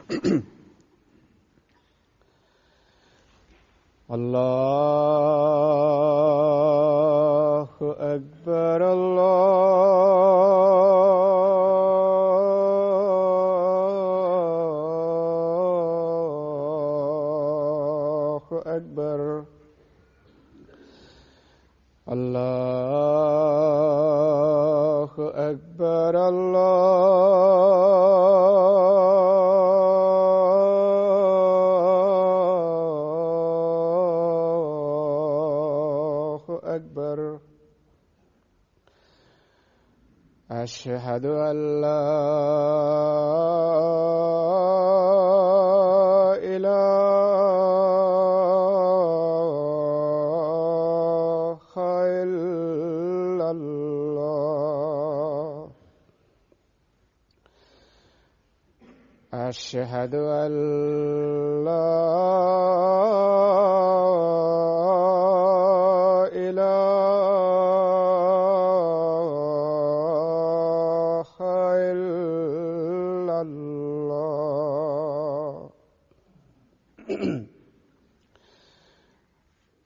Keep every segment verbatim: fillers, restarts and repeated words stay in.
الله أكبر الله أكبر الله أكبر الله أكبر أشهد أن لا إله إلا الله أشهد أن لا إله إلا الله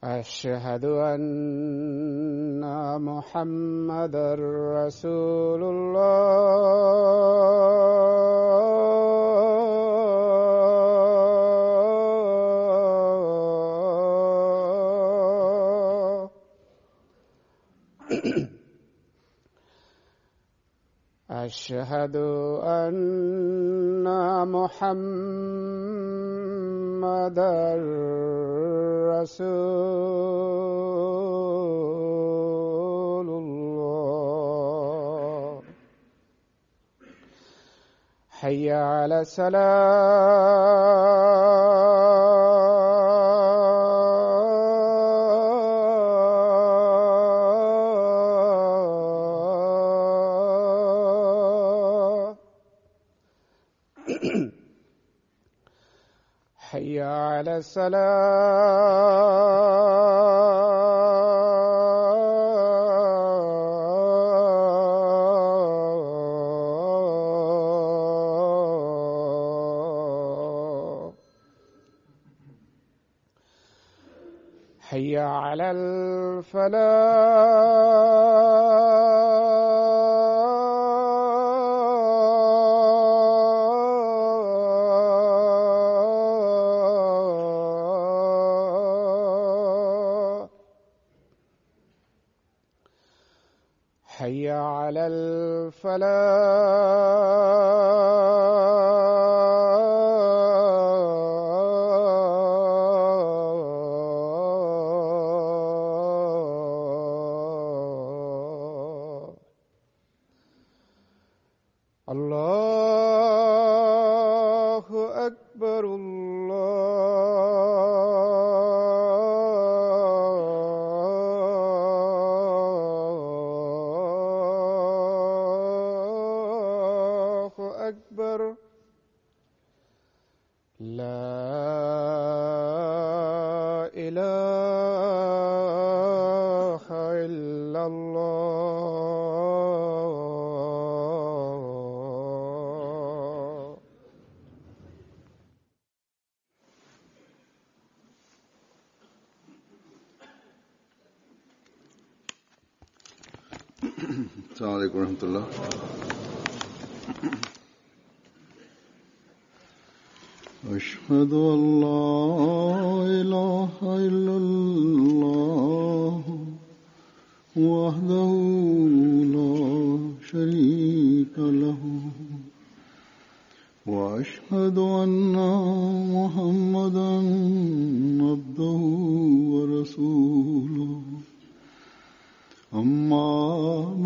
أشهد أن محمدا رسول الله أشهد أن محمدا رسول الله حي على السلام حي على السلام حي على الفلاح حي على الفلاح الله أكبر الله أكبر لا إله إلا الله السلام عليكم ورحمة الله. أشهد أن لا إله إلا الله وحده لا شريك له وأشهد أن محمدا عبده ورسوله. أما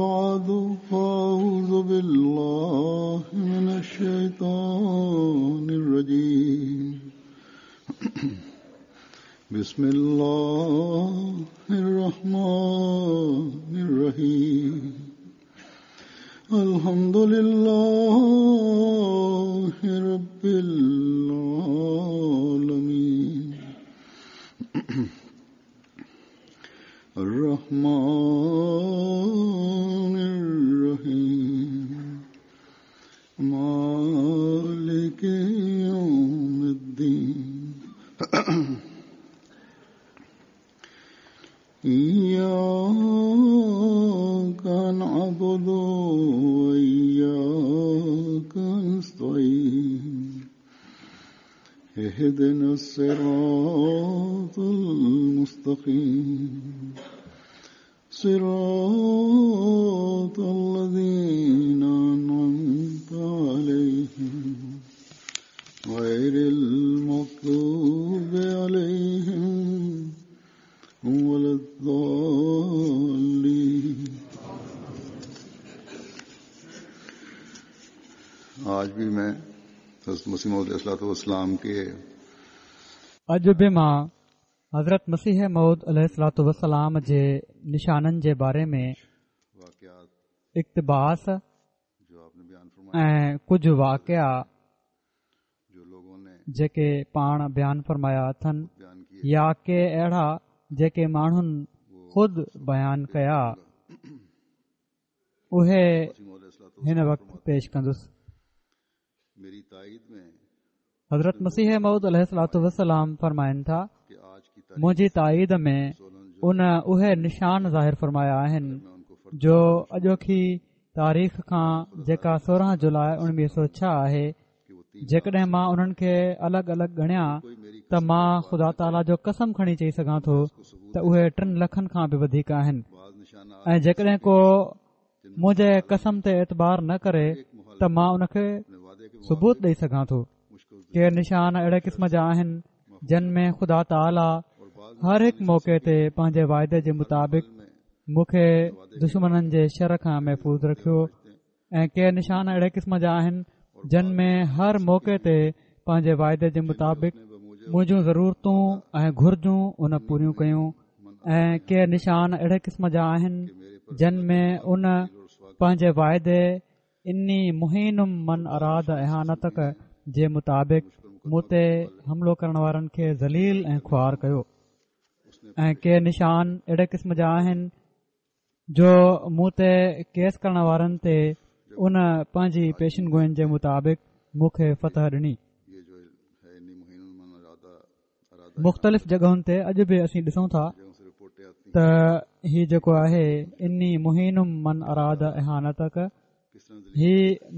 بعد فأعوذ بالله من الشيطان الرجيم. بسم الله الرحمن الرحيم. الحمد لله رب العالمين الرحمن الرحيم مالك يوم نعبد وإياك نستعين اهدنا الصراط المستقيم صراط الذين أنعمت عليهم غير المغضوب عليهم ولا الضالين. आज भी मैं हज़रत मसीह मौऊद अलैहिस्सलाम के अॼु बि मां हज़रत मसीह मौऊद अलैहिस्सलातु वस्सलाम जे निशाननि जे बारे में इक़्तिबास ऐं कुझु वाक़िआ जेके पाण बयान फरमाया अथनि या के अहिड़ा जेके माण्हुनि ख़ुदि बयान कया उहे हिन वक़्तु पेश कंदुसि। हज़रत मसीह मौऊद अलैहिस्सलातु वस्सलाम फरमाइनि था, मुंहिंजी ताईद में उन उहे निशान ज़ाहिर फरमाया आहिनि जो अॼोकी तारीख़ खां जेका सोरहं जुलाई उणिवीह सौ छह आहे, जेकॾहिं मां उन्हनि खे अलॻि अलॻि ॻणियां त मां ख़ुदा ताला जो कसम खणी चई सघां थो त उहे टिनि लखनि खां बि वधीक आहिनि। ऐं जेकॾहिं को मुंहिंजे कसम ते एतबार न करे त मां उनखे सबूत ॾेई सघां थो। के निशान अहिड़े क़िस्म जा आहिनि जन में ख़ुदा ताला हर हिकु मौक़े ते पंहिंजे वाइदे जे मुताबिक़ मूंखे दुश्मननि जे शर खां महफ़ूज़ रखियो। ऐं के निशान अहिड़े क़िस्म जा आहिनि जन में हर मौक़े ते पंहिंजे वाइदे जे मुताबिक़ मुंहिंजूं ज़रूरतूं ऐं घुर्जूं उन पूरियूं कयूं। ऐं के निशान अहिड़े क़िस्म जा आहिनि जन में उन पंहिंजे वाइदे इन्नी मुहीनुम मन अराद इहानतक जे मुताबिक़ मूं ते हमलो करण वारनि खे ज़लील ऐं ख़ुआर कयो। ऐं के निशान अहिड़े क़िस्म जा आहिनि जो मूं ते केस करण वारनि ते उन पंहिंजी पेशन गोइनि जे मुताबिक़ मूंखे फतह ॾिनी। मुख़्तलिफ़ जॻहुनि ते अॼु बि असीं ॾिसूं था त ही जेको आहे इन्नी मुहीनुम मन अराद इहानतक, ही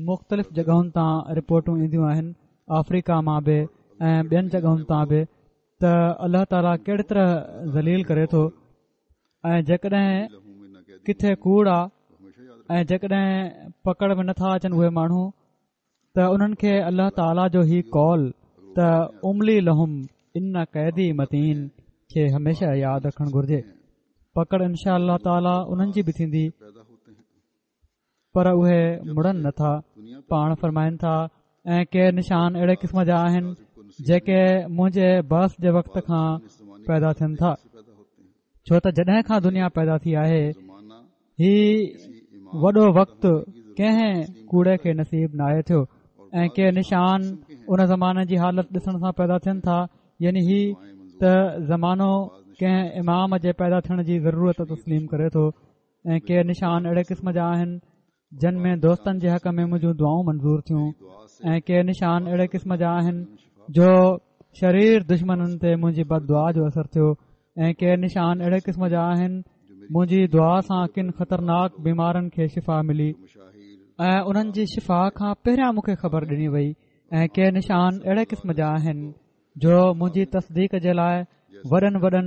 मुख़्तलिफ़ जॻहुनि तां रिपोर्टूं ईंदियूं आहिनि, आफ्रीका मां बि ऐं ॿियनि जॻहुनि तां बि, त अलाह ताला कहिड़ी तरह ज़लील करे थो। ऐं जेकॾहिं किथे कूड़ आहे ऐं जेकॾहिं पकड़ में नथा अचनि उहे माण्हू त उन्हनि खे अलाह ताला जो ही कौल त उमली लहुम इन कैदी मतीन खे हमेशह यादि रखणु घुर्जे। पकड़ इनशा अल्लाह ताला उन्हनि जी बि थींदी, पर उहे मुड़नि नथा। पाण फरमाइनि था, ऐं के निशान अहिड़े क़िस्म जा आहिनि जेके मुंहिंजे बस जे वक़्त खां पैदा थियनि था, छो त जॾहिं खां दुनिया पैदा थी आहे ही वॾो वक़्तु कंहिं कूड़े खे नसीब नाहे थियो। ऐं के निशान उन ज़माने जी हालत ॾिसण सां पैदा थियनि था, यानी ही त ज़मानो कंहिं इमाम जे पैदा थियण जी ज़रूरत तस्लीम करे थो। ऐं के निशान अहिड़े क़िस्म जा आहिनि जन में दोस्तनि जे हक़ में मुंहिंजूं दुआऊं मंज़ूर थियूं। ऐं के निशान अहिड़े क़िस्म जा आहिनि जो शरीर दुश्मननि ते मुंहिंजी बददुआ जो असर थियो। ऐं के निशान अहिड़े क़िस्म जा आहिनि मुंहिंजी दुआ सां किन ख़तरनाक बीमारनि खे शिफ़ा मिली ऐं उन्हनि जी शिफ़ा खां पहिरियां मूंखे ख़बर ॾिनी वई। ऐं के निशान अहिड़े क़िस्म जा आहिनि जो मुंहिंजी तस्दीक जे लाइ वॾनि वॾनि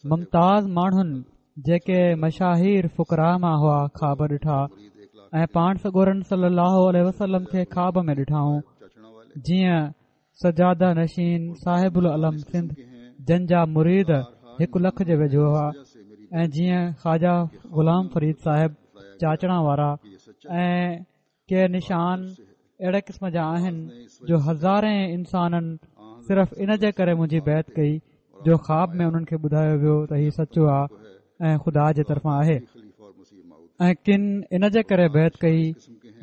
मुमताज़ माण्हुनि जेके मशाहीर फुकरा मां हुआ ख़्वाब ॾिठा ऐं पाण सॻोरनि सल्लल्लाहु अलैहि वसल्लम खे ख़्वाब में ॾिठाऊं, जीअं सजादा नशीन साहिबुल अलम सिंध जन जा मुरीद हिकु लख जे वेझो हुआ, ऐं जीअं ख्वाजा ग़ुलाम फरीद साहिब चाचड़ा वारा। ऐं के निशान अहिड़े क़िस्म जा आहिनि जो हज़ारे इंसाननि सिर्फ़ इन जे करे मुंहिंजी बैत कई जो ख़्वाब में उन्हनि खे ॿुधायो वियो त हीउ सचो आहे ऐं ख़ुदा जे तरफ़ां आहे। ऐं किन इन जे करे बैत कई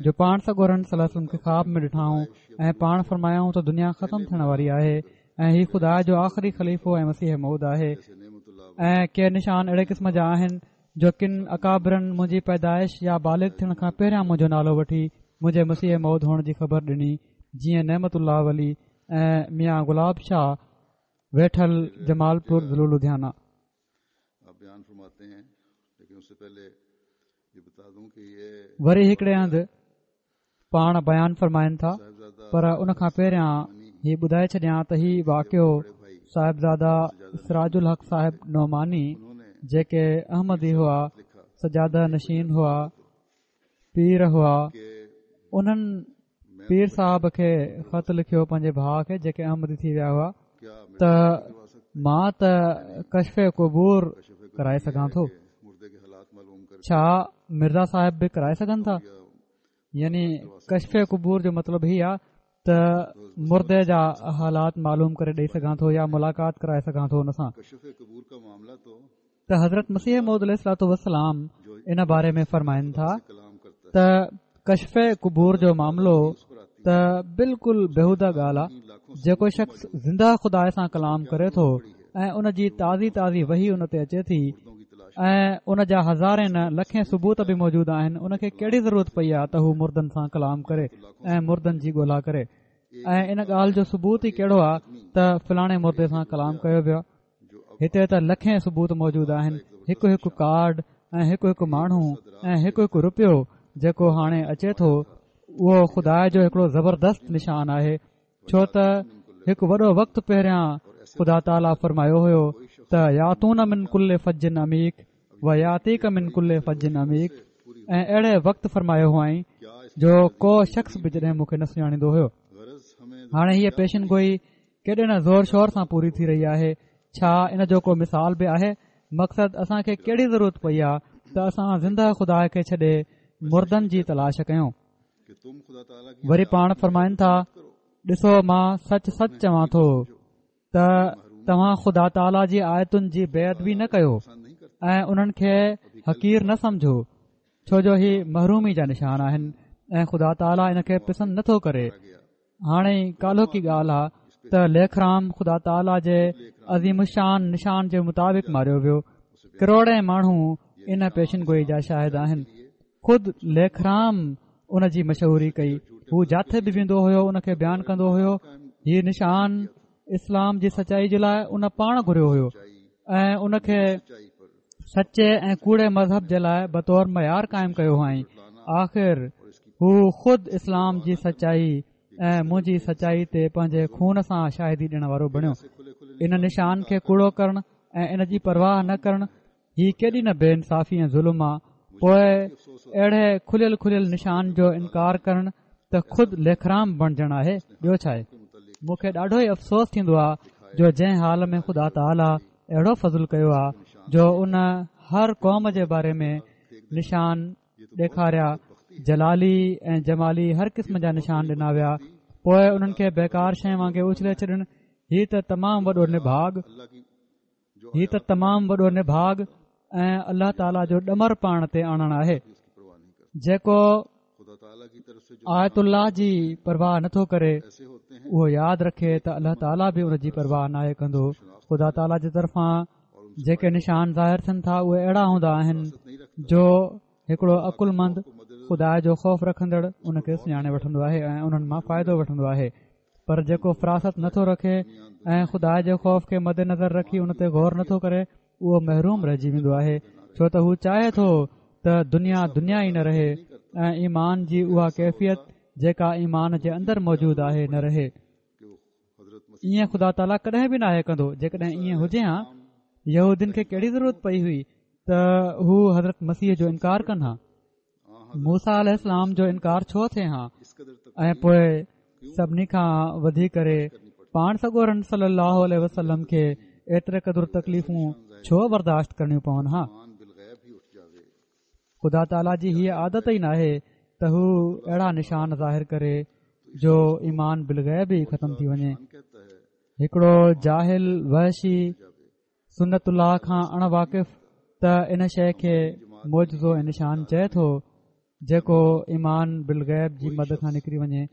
जो पाण सॻोरनि सल्लल्लाहु अलैहि वसल्लम खे ख़्वाब में ॾिठाऊं ऐं पाण फरमायाऊं त दुनिया ख़तम थियण वारी आहे ऐं हीउ ख़ुदा जो आख़िरी ख़लीफ़ो ऐं मसीह मौऊद आहे। ऐं के निशान अहिड़े क़िस्म जा आहिनि जो किन अकाबरनि मुंहिंजी पैदाइश या बालिग थियण खां पहिरियां मुंहिंजो नालो वठी मुंहिंजे मसीह मौऊद हुअण जी ख़बर ॾिनी, जीअं नेमतुल्लाह वली ऐं मियां गुलाब शाह वेठल जमालपुर ज़िलो लुधियाना। وري هڪڙي هنڌ پاڻ بيان فرمائن ٿا، پر ان کان پهريان هي ٻڌائي ڇڏيان ته هي واقعو صاحبزاده سراج الحق صاحب نعماني جيڪي احمدي هئا، سجاده نشين هئا، پير هئا، انهن پير صاحب کي خط لکيو پنهنجي ڀاءُ کي جيڪي احمدي ٿي ويا هئا ته مان ته ڪشف قبور ڪرائي سگهان ٿو، ڇا مرزا صاحب به ڪرائي سگهن ٿا؟ يعني ڪشف قبور جو مطلب هي آهي ته مردي جا حالات معلوم ڪري ڏئي سگهان ٿو يا ملاقات ڪرائي سگهان ٿو ان سان. ته حضرت مسيح موعود عليه الصلوة والسلام ان باري ۾ فرمائن ٿا ته ڪشف قبور جو معاملو ته بلڪل بيهوده ڳالهه آهي. جيڪو شخص زنده خدا سان ڪلام ڪري ٿو ۽ ان جي تازي تازي وحي ان تي اچي ٿي ۽ ان جا هزارين نه لکين ثبوت به موجود آهن، ان کي ڪهڙي ضرورت پئي آهي ته هو مردن سان ڪلام ڪري ۽ مردن جي ڳولا ڪري؟ ۽ ان ڳالهه جو ثبوت ئي ڪهڙو آهي ته فلاڻي مردي سان ڪلام ڪيو ويو آهي؟ هتي ته لکين ثبوت موجود آهن، هڪ هڪ ڪارڊ ۽ هڪ هڪ ماڻهو ۽ هڪ هڪ رپيو جيڪو هاڻي اچي ٿو اهو خدا جو هڪڙو زبردست نشان آهي، ڇو ته هڪ وڏو وقت پهريان خدا تعاليٰ فرمايو هيو ته ياتون من ڪل فج عميق و ياتيڪ من ڪل فج عميق، ۽ اهڙي وقت فرمايو هئائين جو ڪو شخص به جڏهن مون کي نه سڃاڻيندو هيو. هاڻي هيء پيشن گوئي ڪيڏي نه زور شور سان پوري ٿي رهي آهي. ڇا ان جو ڪو مثال به آهي؟ مقصد اسان کي ڪهڙي ضرورت پئي آهي ته اسان زنده خدا کي ڇڏي مردن جي تلاش ڪيون؟ وري پاڻ فرمائن ٿا، ڏسو مان سچ سچ چوان ٿو ته توهان خدا تعاليٰ جي آيتن جي بي ادبي نه ڪيو ۽ انهن کي حقير نه سمجهو، ڇو جو هي محرومي جا نشان آهن ۽ خدا تعاليٰ ان کي پسند نٿو ڪري. هاڻي ڪالهوڪي ڳالهه آهي ته ليکرام خدا تعاليٰ جي عظيم الشان نشان جي مطابق ماريو ويو. ڪروڙين ماڻهو ان پيشن گوئي جا شاهد آهن. خود ليکرام ان جي مشهوري ڪئي. هو جاٿي به ويندو هيو ان کي بيان ڪندو هيو. هي نشان اسلام جي سچائي جي لاءِ ان پاڻ گهريو هيو ۽ ان کي سچي ۽ ڪوڙي مذهب جي لاءِ بطور معيار قائم ڪيو هئائين. آخر هو خود اسلام جي سچائي ۽ منهنجي سچائي تي پنهنجي خون سان شاهدي ڏيڻ وارو بڻيو. ان نشان کي ڪوڙو ڪرڻ ۽ ان جي پرواهه نه ڪرڻ هي ڪيڏي نه بي انصافي ۽ ظلم آ. پوءِ اهڙي کليل کليل نشان جو انڪار ڪرڻ ته خود ليکرام بڻجڻ آهي، ٻيو ڇا آهي؟ مون کي ڏاڍو ئي افسوس ٿيندو آهي جو جنهن حال ۾ خدا تعاليٰ اهڙو فضل ڪيو آهي جو ان هر قوم جي باري ۾ نشان ڏيکاريا، جلالي ۽ جمالي هر قسم جا نشان ڏنا ويا، پوءِ انهن کي بيڪار شيءِ وانگي اڇلي ڇڏڻ هي ته تمام وڏو نڀاڳ هي ته تمام وڏو نڀاڳ ۽ الله تعاليٰ جو ڏمر پاڻ تي آڻڻ آهي. جيڪو آيت الله جي پرواهه نٿو ڪري اهو ياد رکي ته الله تعاليٰ به ان جي پرواهه ناهي ڪندو. خدا تعاليٰ جي طرفان جيڪي نشان ظاهر ٿين ٿا اهي اهڙا هوندا آهن جو هڪڙو عقلمند خدا جو خوف رکندڙ ان کي سڃاڻي وٺندو آهي ۽ انهن مان فائدو وٺندو آهي. پر جيڪو فراست نٿو رکي ۽ خدا جي خوف کي مد نظر رکي ان تي غور نٿو ڪري اهو محروم رهجي ويندو آهي، ڇو ته هو چاهي ٿو ته دنيا دنيا ئي نه رهي ۽ ايمان جي اها ڪيفيت جيڪا ايمان جي اندر موجود آهي نه رهي. ائين خدا تعاليٰ ڪڏهن به ناهي ڪندو. جيڪڏهن ائين هجي ها يهودين کي ڪهڙي ضرورت پئي هئي ته هو حضرت مسيح جو انڪار ڪن ها؟ موسيٰ عليه السلام جو انڪار ڇو ٿئي ها؟ ۽ پوءِ سڀني کان وڌي ڪري پاڻ سڳورن صلي الله عليه وسلم کي ايتري قدر تڪليفون ڇو برداشت ڪرڻيون پون ها؟ خدا تعاليٰ جي هيءَ عادت ئي ناهي ته هو اهڙا نشان ظاهر ڪري جو ايمان بالغيب ئي ختم ٿي وڃي. هڪڙو جاهل وحشي سنت الله کان اڻ واقف ته ان شيءِ کي معجزو ۽ نشان چئي ٿو جيڪو ايمان بالغيب جي مد کان نڪري وڃي،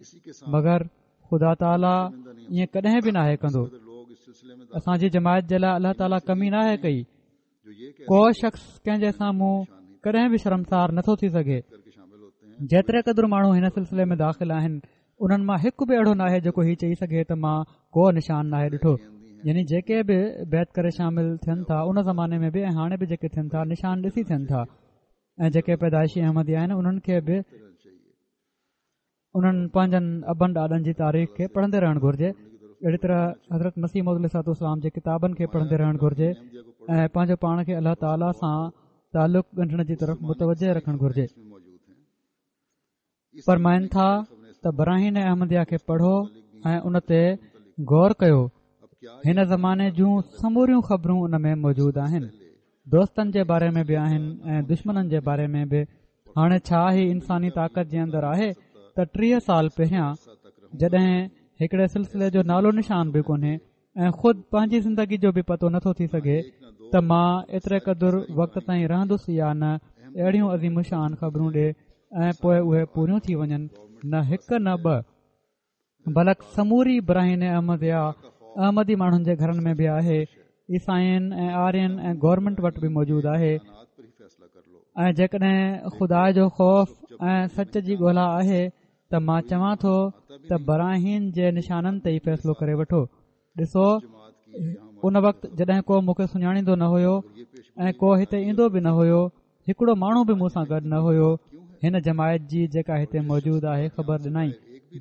مگر خدا تعاليٰ ائين ڪڏهن به ناهي ڪندو. اسان جي جماعت جي لاءِ الله تعاليٰ ڪمي ناهي ڪئي. ڪو شخص ڪنهن جي سامهون ڪڏهن به شرمسار نٿو ٿي سگهي. جيتري قدر ماڻهو هن سلسلي ۾ داخل آهن انهن مان هڪ به اهڙو ناهي جيڪو هي چئي سگهي ته مان ڪو نشان ناهي ڏٺو. يعني جيڪي به بيعت ڪري شامل ٿين ٿا ان زماني ۾ به ۽ هاڻي به جيڪي ٿين ٿا نشان ڏسي ٿين ٿا. ۽ جيڪي پيدائشي احمدي آهن انهن کي به انهن پنهنجن ابن ڏاڏن جي تاريخ کي پڙهندي رهڻ گهرجي. اهڙي طرح حضرت مسيح موعود عليه الصلوة والسلام جي ڪتابن کي پڙهندي رهڻ گهرجي ۽ پنهنجو پاڻ کي الله تعاليٰ سان تعلق ڳنڍڻ جي طرف متوجه رکڻ گهرجي. فرمائن ٿا ته براهين احمديه کي پڙهو ۽ ان تي غور ڪيو. هن زماني جون سموريون خبرون ان ۾ موجود آهن. دوستن جي باري ۾ به آهن ۽ دشمنن جي باري ۾ به. هاڻي ڇا هي انساني طاقت جي اندر آهي ته ٽيهه سال پهريان جڏهن هڪڙي سلسلي جو نالو نشان به ڪونهي ۽ خود پنهنجي زندگي جو به پتو نٿو ٿي سگهي ته مان ايتري قدر وقت تائين رهندس يا نه، اهڙيون عظيم شان خبرون ڏي ۽ پوء اهي پوريون ٿي وڃن. نه هڪ نه ٻه، بلڪ سموري براهين احمديه احمدي ماڻهن جي گهرن ۾ به آهي، عيسائين ۽ آرين ۽ گورنمينٽ وٽ به موجود آهي. ۽ جيڪڏهن خدا جو خوف ۽ سچ جي ڳولا آهي ته مان چوان ٿو ته براهين جي نشانن تي ئي فيصلو ڪري وٺو. ڏسو، ان وقت جڏهن ڪو مون کي سڃاڻيندو نه هيو ۽ ڪو هتي ايندو به نه هيو، هڪڙو ماڻهو به مون سان گڏ نه هيو، هن جماعت جي جيڪا هتي موجود آهي خبر ڏنائين.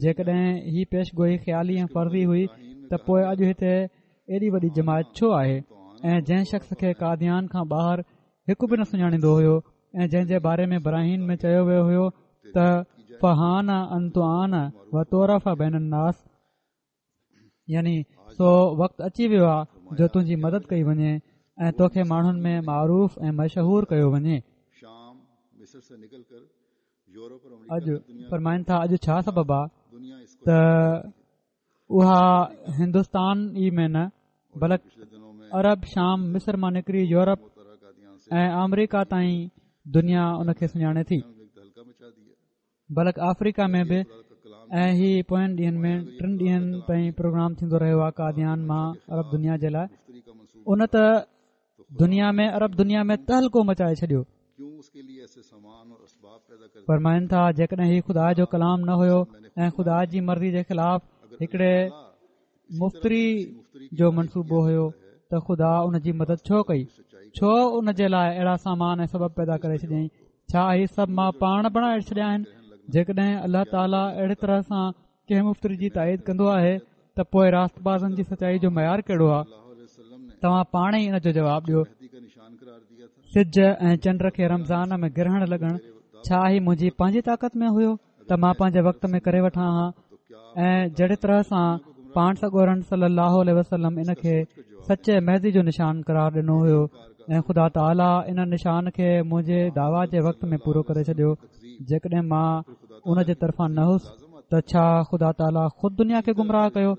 جيڪڏهن هي پيش گوئي خيالي ۽ فرضي هئي ته پوء اڄ هتي ايڏي وڏي جماعت ڇو آهي؟ ۽ جنهن شخص کي قاديان کان ٻاهر هڪ به نه سڃاڻيندو هيو ۽ جنهن جي باري ۾ براهين ۾ چيو ويو هيو ته فحان ان تعان و تعرف بين الناس، يعني سو وقت اچي ويو آهي جو تنهنجي مدد ڪئي وڃي ۽ توکي ماڻهن ۾ معروف ۽ مشهور ڪيو وڃي. اڄ فرمائن ٿا اڄ ڇا سبب آهي ته اها هندستان ئي ۾ نه بلڪ عرب، شام، مصر مان نڪري يورپ ۽ آمريڪا تائين دنيا ان کي سڃاڻي ٿي، بلڪ آفريڪا ۾ به. ۽ هي پوين ڏينهن ۾ ٽن ڏينهن تائين پروگرام ٿيندو رهيو آهي قاديان مان عرب دنيا جي لاءِ. ان ته دنيا ۾ عرب دنيا ۾ تهلڪو مچائي ڇڏيو. فرمائن ٿا جيڪڏهن هي خدا جو ڪلام نه هيو ۽ خدا جي مرضي جي خلاف هڪڙي مفتري جو منصوبو هيو ته خدا ان جي مدد ڇو ڪئي؟ ڇو ان جي لاءِ اهڙا سامان ۽ سبب پيدا ڪري ڇڏيائين؟ ڇا هي سڀ مان پاڻ بڻائي ڇڏيا آهن؟ جيڪڏهن الله تعاليٰ اهڙي طرح سان ڪنهن مفتري جي تائيد ڪندو آهي ته پوءِ راستبازن جي سچائي جو معيار ڪهڙو آهي؟ توهان پاڻ ئي ان جو جواب ڏيو. سج ۽ چنڊ کي رمضان ۾ گرهڻ لڳڻ ڇا هي منهنجي پنهنجي طاقت ۾ هيو ته مان پنهنجي وقت ۾ ڪري وٺان ها؟ ۽ جهڙي طرح سان پاڻ سڳورن صلي الله عليه وسلم ان کي سچي مهدي جو نشان قرار ڏنو هيو ۽ خدا تعاليٰ ان نشان کي منهنجي دعويٰ جي وقت ۾ پورو ڪري ڇڏيو. جيڪڏهن مان ان جي طرفان نه هوس ته ڇا خدا تعاليٰ خود دنيا کي گمراهه ڪيو؟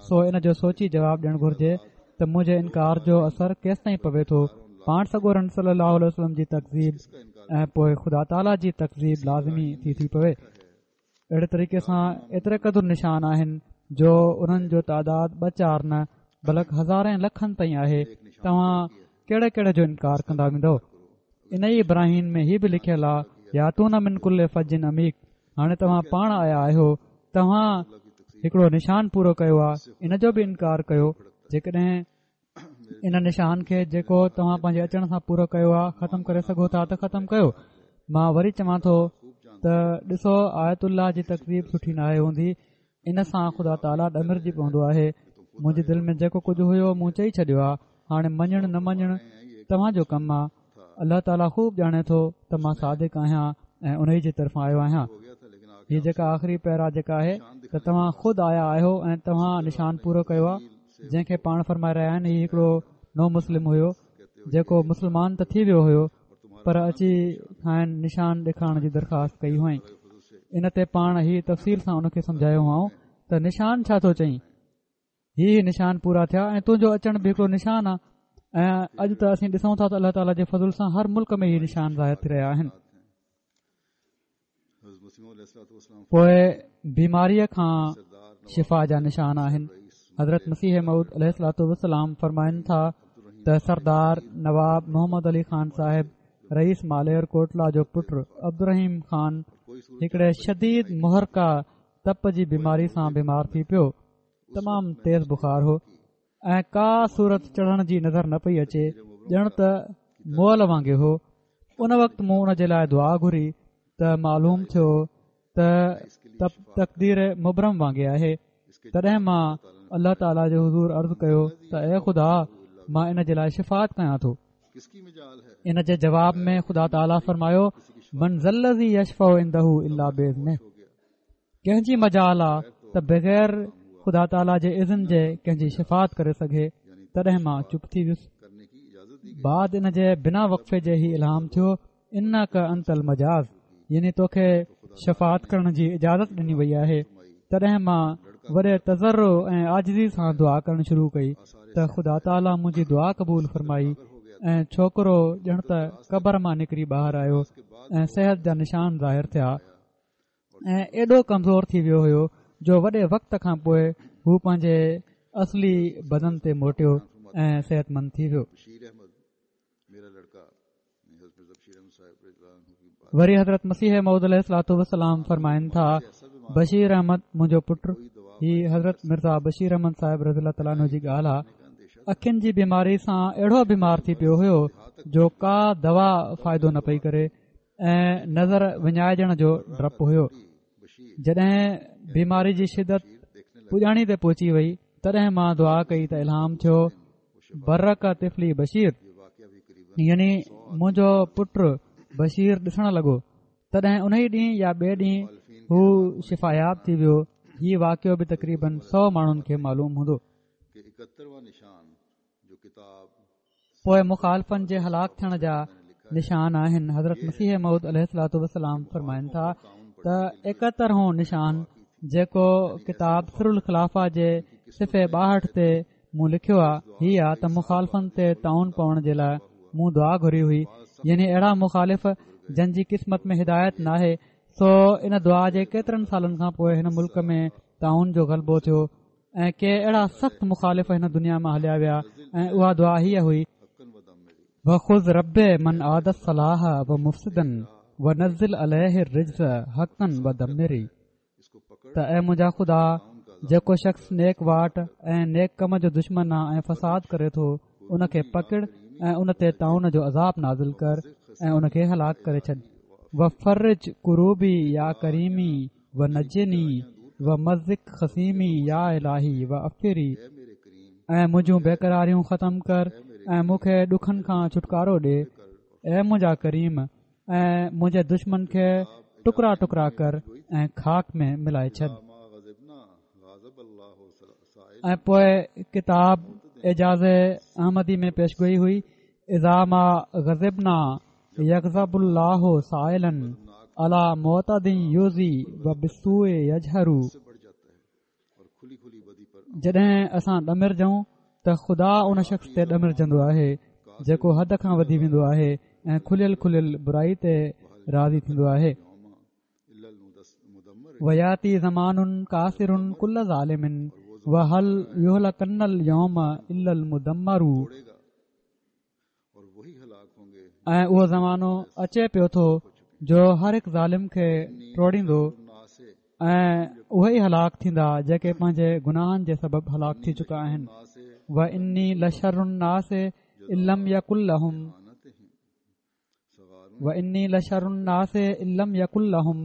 سو ان جو سوچي جواب ڏيڻ گهرجي ته منهنجي انڪار جو اثر ڪيستائين پوي ٿو. پاڻ سڳورن صلي الله عليه وسلم جي تڪذيب ۽ پوءِ خدا تعاليٰ جي تڪذيب لازمي ٿي ٿي پوي. اهڙي طريقي سان ايتري قدر نشان آهن جو انهن جو تعداد ٻه چار نه بلڪ هزارين لکن تائين آهي. توهان ڪهڙي ڪهڙي جو انڪار ڪندا ويندؤ؟ ان ئي براهين ۾ هي به لکيل آهي ياتون من ڪل فج عميق. هاڻي توهان پاڻ آيا آهيو، توهان هڪڙو نشان پورو ڪيو آهي، ان جو به انڪار ڪيو. جيڪڏهن ان نشان کي جيڪو توهان پنهنجي اچڻ سان پورو ڪيو آهي ختم ڪري سگهو ٿا ته ختم ڪيو. مان وري چوان ٿو ته ڏسو، آيت الله جي تڪذيب سٺي ناهي هوندي، ان سان خدا تعاليٰ ڏمرجي پوندو آهي. منهنجي دل ۾ جيڪو ڪجهه هيو مون چئي ڇڏيو آهي، هاڻي مڃڻ نه مڃڻ توهان جو ڪم آهي. الله تعاليٰ خوب ڄاڻي ٿو ته مان صادق آهيان ۽ ان جي طرفان آيو آهيان. هي جيڪا آخري پيرا جيڪا آهي ته توهان خود آيا آهيو ۽ توهان نشان پورو ڪيو آهي، جنهن کي پاڻ فرمائي رهيا آهن. هي هڪڙو نو مسلم هيو جيڪو مسلمان ته ٿي ويو هيو پر اچي کانئن نشان ڏيکارڻ جي درخواست ڪئي هئائين. ان تي پاڻ هي تفصيل سان ان کي سمجهايو هئائون ته نشان ڇا ٿو چئين، هي هي نشان پورا ٿيا ۽ تنهنجو اچڻ به هڪڙو نشان آهي ۽ اڄ ته اسين ڏسون ٿا ته الله تعاليٰ جي فضل سان هر ملڪ ۾ هي نشان ظاهر ٿي رهيا آهن. پوءِ بيماريءَ کان شفا جا نشان آهن. حضرت مسيح موعود عليه الصلوة والسلام فرمائن ٿا ته سردار نواب محمد علي خان صاحب رئيس مالير ڪوٽلا جو پٽ عبدالرحيم خان هڪڙي شديد محرقه تپ جي بيماري سان بيمار ٿي پيو. تمام تيز بخار هو ۽ ڪا صورت چڙهڻ جي نظر نه پئي اچي، ڄڻ ته مئل وانگي هو. ان وقت مون ان جي لاءِ دعا گهري ته معلوم ٿيو ته تقدير مبرم وانگي آهي. تڏهن مان الله تعاليٰ جي حضور عرض ڪيو ته اي خدا، مان ان جي لاءِ شفاعت ڪيان ٿو. ان جي جواب ۾ خدا تعاليٰ فرمايو من ذا الذي يشفع عنده الا باذنه، ڪنهن جي مجال آ ته بغير خدا تعاليٰ جي اذن جي ڪنهن جي شفاعت ڪري سگهي. تڏهن مان چپ ٿي ويس. بعد ان جي بنا وقفي جي هي الهام ٿيو انڪ انت المجاز، يعني توکي شفاعت ڪرڻ جي اجازت ڏني وئي آهي. تڏهن مان وڏي تضرع ۽ عاجزي سان دعا ڪرڻ شروع ڪئي ته خدا تعاليٰ منهنجي دعا قبول فرمائي ۽ ڇوڪرو ڄڻ ته قبر مان نڪري ٻاهر آيو ۽ صحت جا نشان ظاهر ٿيا ۽ ايڏو ڪمزور ٿي ويو هيو جو وڏي وقت کان پوءِ هو پنهنجي اصلي بدن تي موٽيو ۽ صحتمند ٿي ويو. وري حضرت مسيح موعود عليه الصلوة والسلام فرمائن ٿا بشير احمد منهنجو پٽ، هي حضرت مرزا بشير احمد صاحب رضي الله تعاليٰ عنه جي ڳالهه آهي، اکين جي بيماري سان اهڙو بيمار ٿي پيو هيو جو ڪا دوا فائدو نه پئي ڪري ۽ نظر وڃائجڻ جو ڊپ هيو. جڏهن بيماري جي شدت پڄاڻي تي پهچي وئي تڏهن مان دعا ڪئي ته الهام ٿيو برق طفلي بشير، يعني منهنجو پٽ بشير ڏسڻ لڳو. تڏهن ان ئي ڏينهن يا ٻئي ڏينهن هو شفاياب ٿي ويو. هي واقعو به تقريبن سؤ ماڻهن کي معلوم هوندو. پوءِ مخالفن جي هلاڪ ٿيڻ جا نشان آهن. حضرت مسيح موعود عليه الصلوة والسلام فرمائن ٿا ته ايڪهترهون نشان جيڪو ڪتاب سر الخلافه جي صفحي ٻاهٺ تي مون لکيو آهي هي آهي ته مخالفن تي طاعون پوڻ جي لاءِ مون دعا گهري هئي، يعني اهڙا مخالف جن جي قسمت ۾ هدايت ناهي. سو ان دعا جي ڪيترن سالن کان پوءِ هن ملڪ ۾ طاعون جو غلبو ٿيو ۽ ڪي اهڙا سخت مخالف هن دنيا مان هليا ويا ۽ اها دعا هيءَ هئي وخذ رب من عاد الصلاح ومفسدا ونزل عليه الرجز حقا ودمري، ته اي منهنجا خدا، جيڪو شخص نيڪ واٽ ۽ نيڪ ڪم جو دشمن آ ۽ فساد ڪري ٿو ان کي پڪڙ ۽ ان تي طاعون جو عذاب نازل ڪر ۽ ان کي هلاڪ ڪري ڇڏ. وفرج ڪروبي يا ڪريمي ونجني ومزق خصيمي يا الاهي وعفري، ۽ منهنجون بيقراريون ختم ڪر ۽ مون کي ڏکن کان ڇوٽڪارو ڏي اي منهنجا ڪريم، ۽ منهنجي دشمن کي ٽڪرا ٽڪرا ڪر ۽ خاڪ ۾ ملائي ڇڏ. ۽ پوءِ ڪتاب اعجاز احمدي ۾ پيشگوئي هئي اذا ما غضبنا يغضب الله سائلا على معتد يؤذي وبالسوء يجهر، جڏهن اسان ڏمرجون ته خدا ان شخص تي ڏمرجندو آهي جيڪو حد کان وڌي ويندو آهي ۽ کليل کليل برائي تي راضي ٿيندو آهي. وياتي زمان ڪاسر ڪل ظالم وهل يهلڪن اليوم الا المدمر، ۽ اهو زمانو اچي پيو ٿو جو هر هڪ ظالم کي ٽوڙيندو ۽ اهي ئي هلاڪ ٿيندا جيڪي پنهنجي گناهن جي سبب هلاڪ ٿي چڪا آهن. واني لشر الناس ان لم يڪن لهم واني لشر الناس ان لم يڪن لهم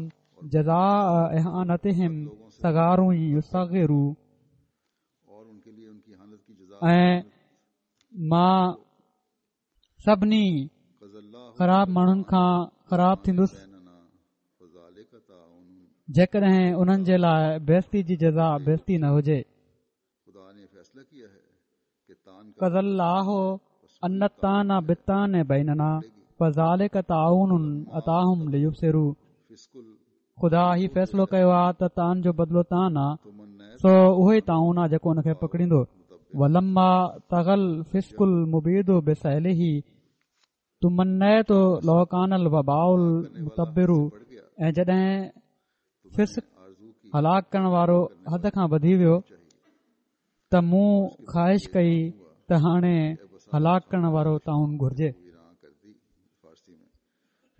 جزاء اهانتهم صغار يصغر، ۽ مان سڀني خراب ماڻهن کان خراب ٿيندس جيڪڏهن انهن جي لاءِ بيستي جي جزا بيستي نه هجي. قضى الله ان الطعن بالطعن بيننا فذلك طاعون اتاهم ليبصروا، خدا هي فيصلو ڪيو آهي ته طعن جو بدلو طعن آهي، سو اهو ئي طاعون آهي جيڪو ان کي پڪڙيندو. ولما طغى الفسق المبيد بسيله تمنيت لو كان الوباء المتبر، ۽ جڏهن فسق هلاڪ ڪرڻ وارو حد کان وڌي ويو ته مون خواهش ڪئي ته هاڻي هلاڪ ڪرڻ وارو طاعون گهرجي.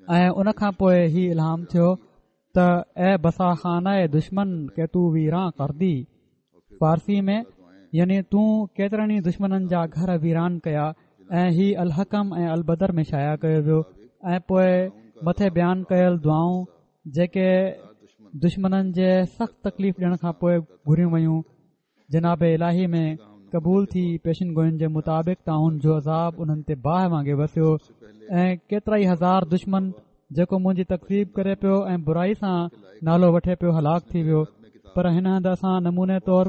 ۽ ان کان پوءِ هي الهام ٿيو ته اي بسا خانه دشمن ڪي تو ويران ڪردي، فارسي ۾ يعني تون ڪيترن ئي دشمنن جا گهر ويران ڪيا. ۽ هي الحڪم ۽ البدر ۾ شايع ڪيو ويو ۽ پوءِ مٿي بيان ڪيل دعائون جيڪي دشمنن جي سخت تڪليف ڏيڻ کان پوءِ گهريون ويون جناب الاهي ۾ قبول ٿي. پيشن گوئين جي مطابق طاعون جو عذاب انهن تي باهه وانگي وسيو ۽ ڪيترا ئي هزار دشمن جيڪو منهنجي تڪذيب ڪري پيو ۽ برائي سان نالو وٺي پيو هلاڪ ٿي ويو. پر هن هنڌ اسان نموني طور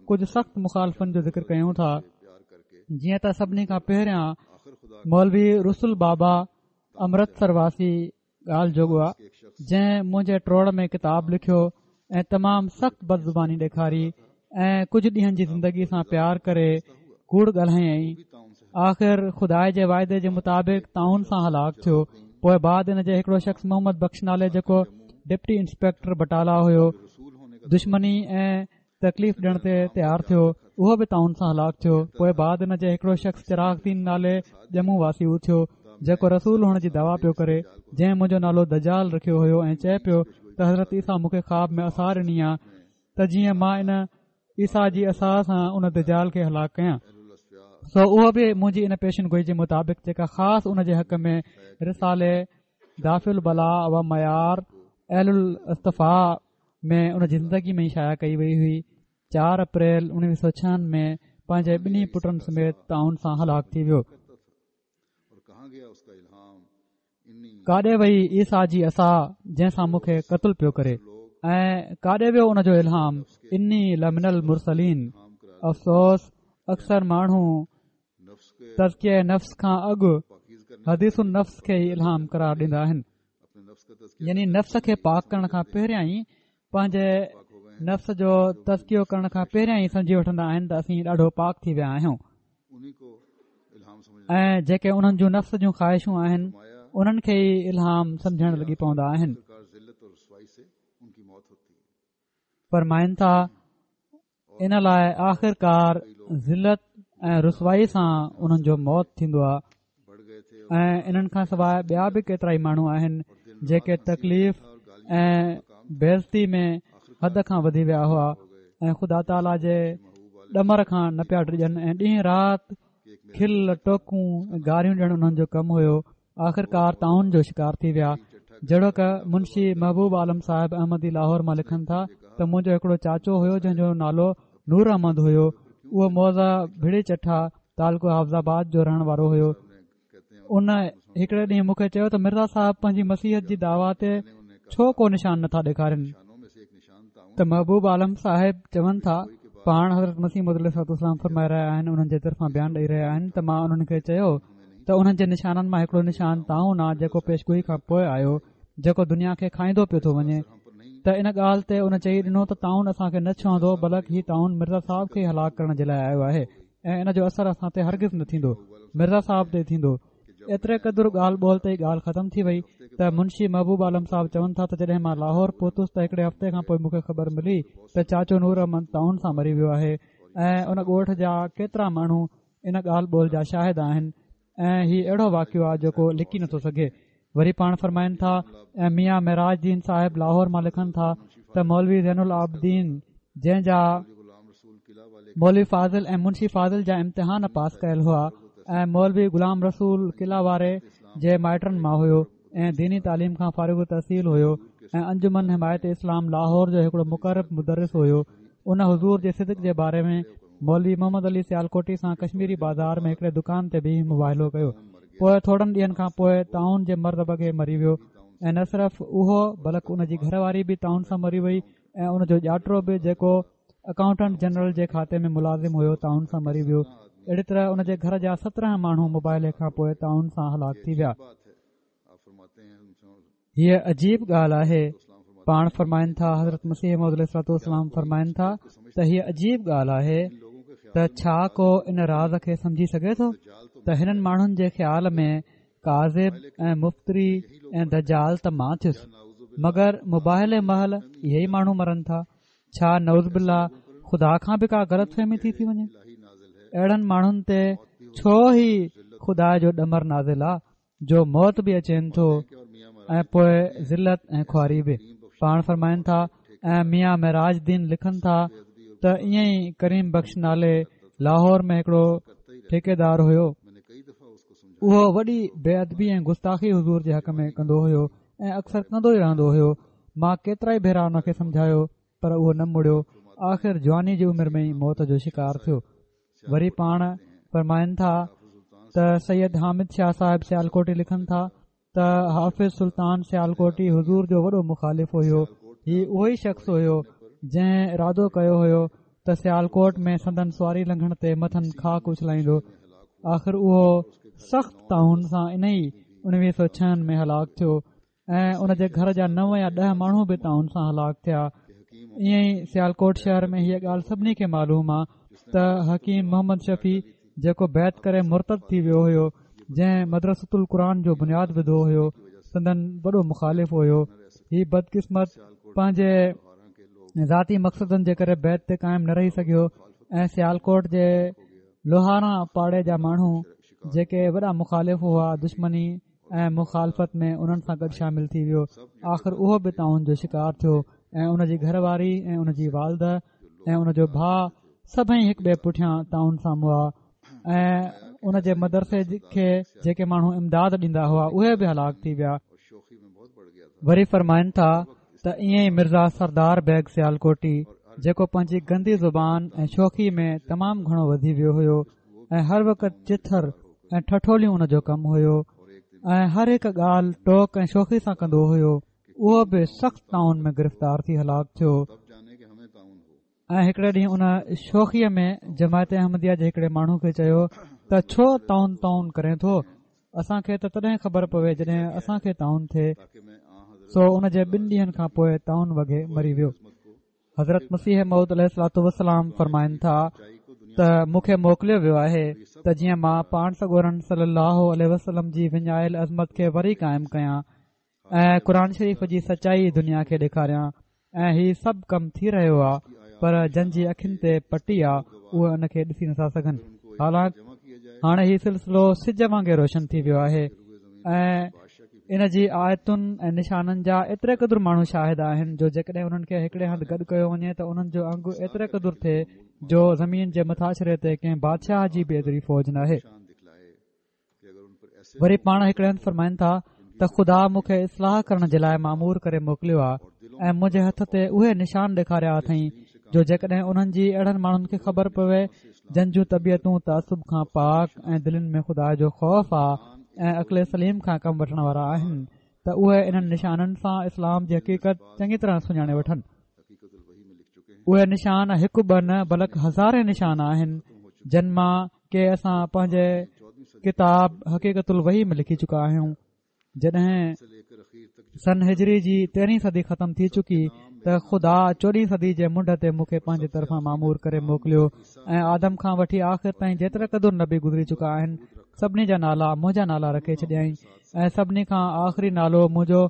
ڪجهه سخت مخالفن جو ذڪر ڪيون ٿا. جيئن ته سڀني کان پهريان مولوي رسول بابا امرتسر واسي ڳالهه جوڳو آهي، جنهن منهنجي ٽوڙ ۾ ڪتاب لکيو ۽ تمام سخت بدزباني ڏيکاري ۽ ڪجهه ڏينهن جي زندگي سان پيار ڪري ڪوڙ ڳالهايائين. آخر خدا جي واعدي جي مطابق طاعون سان هلاڪ ٿيو. پوءِ بعد ان جي هڪڙو شخص محمد بخش نالي جيڪو ڊپٽي انسپيڪٽر بٽالا هيو دشمني ۽ تڪليف ڏيڻ تي تيار ٿيو، اهو به طاعون سان هلاڪ ٿيو. پوءِ بعد ان جي هڪڙو شخص چراغ دين نالي ڄمون واسي اٿيو جيڪو رسول هئڻ جي دعويٰ پيو ڪري، جنهن منهنجو نالو دجال رکيو هيو ۽ چئي پيو ته حضرت عيسيٰ مون کي خواب ۾ عصا ڏني آهي ته جيئن مان ان عيسيٰ جي عصا سان ان دجال کي هلاڪ ڪيان. سو اهو به منهنجي ان پيشن گوئي جي مطابق جيڪا خاص ان جي حق ۾ رسالي دافع البلاء و معيار اهل الاصطفاء ۾ ان جي زندگي ۾ ئي شايع ڪئي وئي هئي، چار اپريل اڻويهه سؤ ڇهن ۾ پنهنجي ٻنهي پٽن سميت طاعون سان هلاڪ ٿي ويو. ڪاڏي وئي عيسيٰ جي عصا جنهن سان مون کي قتل پيو ڪري، ۽ ڪاڏي ويو ان جو الهام اني لمن المرسلين. افسوس، اڪثر ماڻهو تزڪيه نفس کان اڳ حديث النفس کي ئي الهام قرار ڏيندا آهن، يعني نفس کي پاڪ ڪرڻ کان پهريان ئي پنهنجي نفس جو تزڪيو ڪرڻ کان پهريان ئي سمجهي وٺندا آهن ته اسين ڏاڍو پاڪ ٿي ويا آهيون، ۽ جيڪي انهن جون نفس جون خواهشون آهن انهن کي ئي الهام سمجهڻ لڳي پوندا آهن. فرمائن ٿا ان لاءِ آخرڪار ذلت ۽ رسوائي سان انهن جو موت ٿيندو آهي. ۽ انهن کان سواءِ ٻيا به ڪيترا ئي ماڻهو آهن جيڪي تڪليف ۽ بيعزتي ۾ حد کان وڌي ويا هئا ۽ خدا تعاليٰ جي ڏمر کان نه پيا ڊڄن ۽ ڏينهن رات کل ٽوڪون ۽ گاريون ڏيڻ انهن جو ڪم هيو. آخرڪار طاعون جو شڪار ٿي ويا. جهڙوڪ منشي محبوب عالم صاحب احمدي لاهور مان لکن ٿا ته منهنجو هڪڙو چاچو هيو جنهن جو نالو نور احمد هيو، اهو موضع ڀڙي چٺا تعلقو حافظ آباد جو رهڻ وارو هيو. ان هڪڙي ڏينهن مون کي چيو ته مرزا صاحب پنهنجي مسيحت جي دعويٰ تي ڇو ڪو نشان نٿا ڏيکارين؟ ته محبوب عالم صاحب چون ٿا پاڻ حضرت مسيح موعود عليه الصلوة والسلام فرمائي رهيا آهن، انهن جي طرفان بيان ڏيئي رهيا آهن ته مان انهن کي چيو ته انهن جي نشانن مان هڪڙو نشان طاعون آهي جيڪو پيشگوئي کان پوءِ آيو، جيڪو دنيا کي کائيندو پيو ٿو وڃي. ته ان ڳالهه تي ان چئي ڏنو ته طاعون اسان کي نه ڇهندو، بلڪ هي طاعون مرزا صاحب کي هلاڪ ڪرڻ جي لاءِ آيو آهي ۽ ان جو اثر اسان تي هرگز نه ٿيندو، مرزا صاحب تي ٿيندو. ايتري قدر ڳالهه ٻولهه تي ڳالهه ختم ٿي وئي ته منشي محبوب عالم صاحب چون ٿا ته جڏهن مان لاهور پهتس ته هڪڙي هفتي کان پوءِ مون کي خبر ملي ته چاچو نور احمد طاعون سان مري ويو آهي ۽ ان ڳوٺ جا ڪيترا ماڻهو ان ڳالهه ٻولهه جا شاهد آهن ۽ هي اهڙو واقعو آهي جيڪو لڪي نٿو سگهي. وري پاڻ فرمائن ٿا ۽ ميان معراج دين صاحب لاهور مان لکن ٿا ته مولوي زين العابدين جنهن جا مولوي فاضل ۽ منشي فاضل جا امتحان پاس ڪيل هئا ۽ مولوي غلام رسول قلعه واري جي مائٽن مان هيو ۽ ديني تعليم کان فارغ التحصيل هيو ۽ انجمن حمايت اسلام لاهور جو هڪڙو مقرب مدرس هيو. ان حضور جي صدق جي باري ۾ مولوي محمد علي سيالڪوٽي سان ڪشميري بازار ۾ هڪڙي دڪان تي بيهي مباهلو ڪيو. پوءِ ٿورن ڏينهن کان پوءِ طاعون جي مرض وڳي مري ويو ۽ نه صرف اهو بلڪ ان جي گهر واري به طاعون سان مري وئي ۽ ان جو ڄاٽرو به جيڪو اڪائونٽنٽ جنرل جي کاتي ۾ ملازم هيو طاعون سان مري ويو. اهڙي طرح ان جي گهر جا سترهن ماڻهو مباهلي کان پوءِ طاعون سان هلاڪ ٿي ويا. هيءَ عجيب ڳالهه آهي. پاڻ فرمائن ٿا حضرت مسيح موعود عليه الصلوة والسلام فرمائن ٿا ته هيءَ عجيب ڳالهه آهي ته ڇا ڪو ان راز کي سمجهي سگهي ٿو ته هنن ماڻهن جي خيال ۾ ڪاذب ۽ مفتري ۽ دجال ته مان ٿيس، مگر مباهلي مهل اهي ئي ماڻهو مرن ٿا. ڇا نعوذ بالله خدا کان به ڪا غلط فهمي ٿي ٿي وڃي؟ اهڙن ماڻهن تي ڇو هي خدا جو ڏمر نازل آ جو موت به اچين ٿو ۽ پوءِ ذلت ۽ خواري به. پاڻ فرمائن ٿا ۽ ميان معراج دين لکن ٿا ته ائين ئي ڪريم بخش نالي لاهور ۾ هڪڙو ٺيڪيدار هيو. اهو وڏي بي ادبي ۽ گستاخي حضور جي حق ۾ ڪندو هيو ۽ اڪثر ڪندو ئي رهندو هيو. مان ڪيترا ئي ڀيرا ان کي سمجهايو پر اهو نه مڙيو. آخر جواني جي عمر ۾ ئي موت جو شڪار ٿيو. وري پاڻ فرمائن ٿا ته سيد حامد شاهه صاحب سيالڪوٽي لکن ٿا ته حافظ سلطان سيالڪوٽي حضور جو وڏو مخالف هيو. هي اهو ئي شخص هيو جنهن ارادو ڪيو هيو ته سيالڪوٽ ۾ سندن سواري لنگهڻ تي مٿن خاڪ اڇلائيندو. آخر اهو سخت طاعون سان انهي اڻويهه سؤ ڇهن ۾ هلاڪ ٿيو ۽ ان جي گهر جا نو يا ڏهه ماڻهو به طاعون سان هلاڪ ٿيا. ائين ئي سيالڪوٽ شهر ۾ هيء ڳالهه سڀني کي معلوم آهي ته حڪيم محمد شفيع جيڪو بيعت ڪري مرتد ٿي ويو هيو، جنهن مدرسة القرآن جو بنياد وڌو هيو، سندن وڏو مخالف هيو. هي بدقسمت پنهنجي ذاتي مقصدن جي ڪري بيعت تي قائم نه رهي سگهيو ۽ سيالڪوٽ جي لوهارا پاڙي جا ماڻهو جيڪي وڏا مخالف هئا، دشمني ۽ مخالفت ۾ انهن سان گڏ شامل ٿي ويو. آخر اهو به طاعون جو شڪار ٿيو ۽ ان جي گهر واري ۽ ان جي والده ۽ ان جو ڀاء سڀئي هڪ ٻئي پٺيان طاعون سان مئا ۽ ان جي مدرسي کي جيڪي ماڻهو امداد ڏيندا هئا اهي به هلاڪ ٿي ويا. وري فرمائن ٿا ته ائين ئي مرزا سردار بيگ سيالڪوٽي جيڪو پنهنجي گندي زبان ۽ شوخي ۾ تمام گهڻو وڌي ويو هيو ۽ هر وقت چٿر ۽ ٺٺوليون ان جو ڪم هيو ۽ هر هڪ ڳالهه ٽوڪ ۽ شوخي سان ڪندو هيو، اهو به سخت طاعون ۾ گرفتار ٿي هلاڪ ٿيو. ۽ هڪڙي ڏينهن ان شوخيء ۾ جماعت احمديه جي هڪڙي ماڻهو کي چيو ته ڇو طاعون طاعون ڪرين ٿو، اسان کي ته تڏهن خبر پوي جڏهن اسان کي طاعون ٿئي. سو ان جي ٻن ڏينهن کان پوء طاعون وگهي مري ويو. حضرت مسيح موعود عليه الصلوة والسلام فرمائن ٿا ته مون کي موڪليو ويو آهي ته جيئن مان پاڻ سڳورن صلي الله عليه وسلم جي وڃايل عظمت کي وري قائم ڪيان ۽ قرآن شريف جي سچائي دنيا کي ڏيکاريان ۽ هي سڀ ڪم ٿي رهيو آهي پر جن جي اکين تي پٽي آهي اهي ان کي ڏسي نٿا سگهن. حالانڪ هاڻي هي سلسلو سج وانگي روشن ٿي ويو آهي ۽ ان جي آيتن ۽ نشانن جا ايتري قدر ماڻهو شاهد آهن جو جيڪڏهن انهن کي هڪڙي هنڌ گڏ ڪيو وڃي ته انهن جو انگ ايتري قدر ٿئي جو زمين جي مٿاڇري تي ڪنهن بادشاهه جي به ايتري فوج ناهي. وري پاڻ هڪڙي هنڌ فرمائن ٿا ته خدا مون کي اصلاح ڪرڻ جي لاء مامور ڪري موڪليو آهي ۽ منهنجي هٿ تي اهي نشان ڏيکاريا اٿئي جو جيڪڏهن انهن جي اهڙن ماڻهن کي خبر پوي جن جون طبيعتون تعصب کان پاڪ ۽ دلين ۾ خدا جو خوف آهي ۽ عقل سليم کان ڪم وٺڻ وارا آهن ته اهي انهن نشانن سان اسلام جي حقيقت چڱي طرح سڃاڻي وٺن. اهي نشان هڪ ٻه نه بلڪ هزارين نشان آهن جن مان ڪي اسان پنهنجي ڪتاب حقيقت الوحي ۾ لکي چڪا آهيون. جڏهن سن هجري جي تيرهين صدي ختم ٿي چڪي ته خدا چوڏهين صدي جي منڍ تي مون کي پنهنجي طرفان مامور ڪري موڪليو ۽ آدم کان وٺي آخر تائين جيتري قدر نبي گذري چڪا آهن سڀني جا نالا منهنجا نالا رکي ڇڏيائين ۽ سڀني کان آخري نالو منهنجو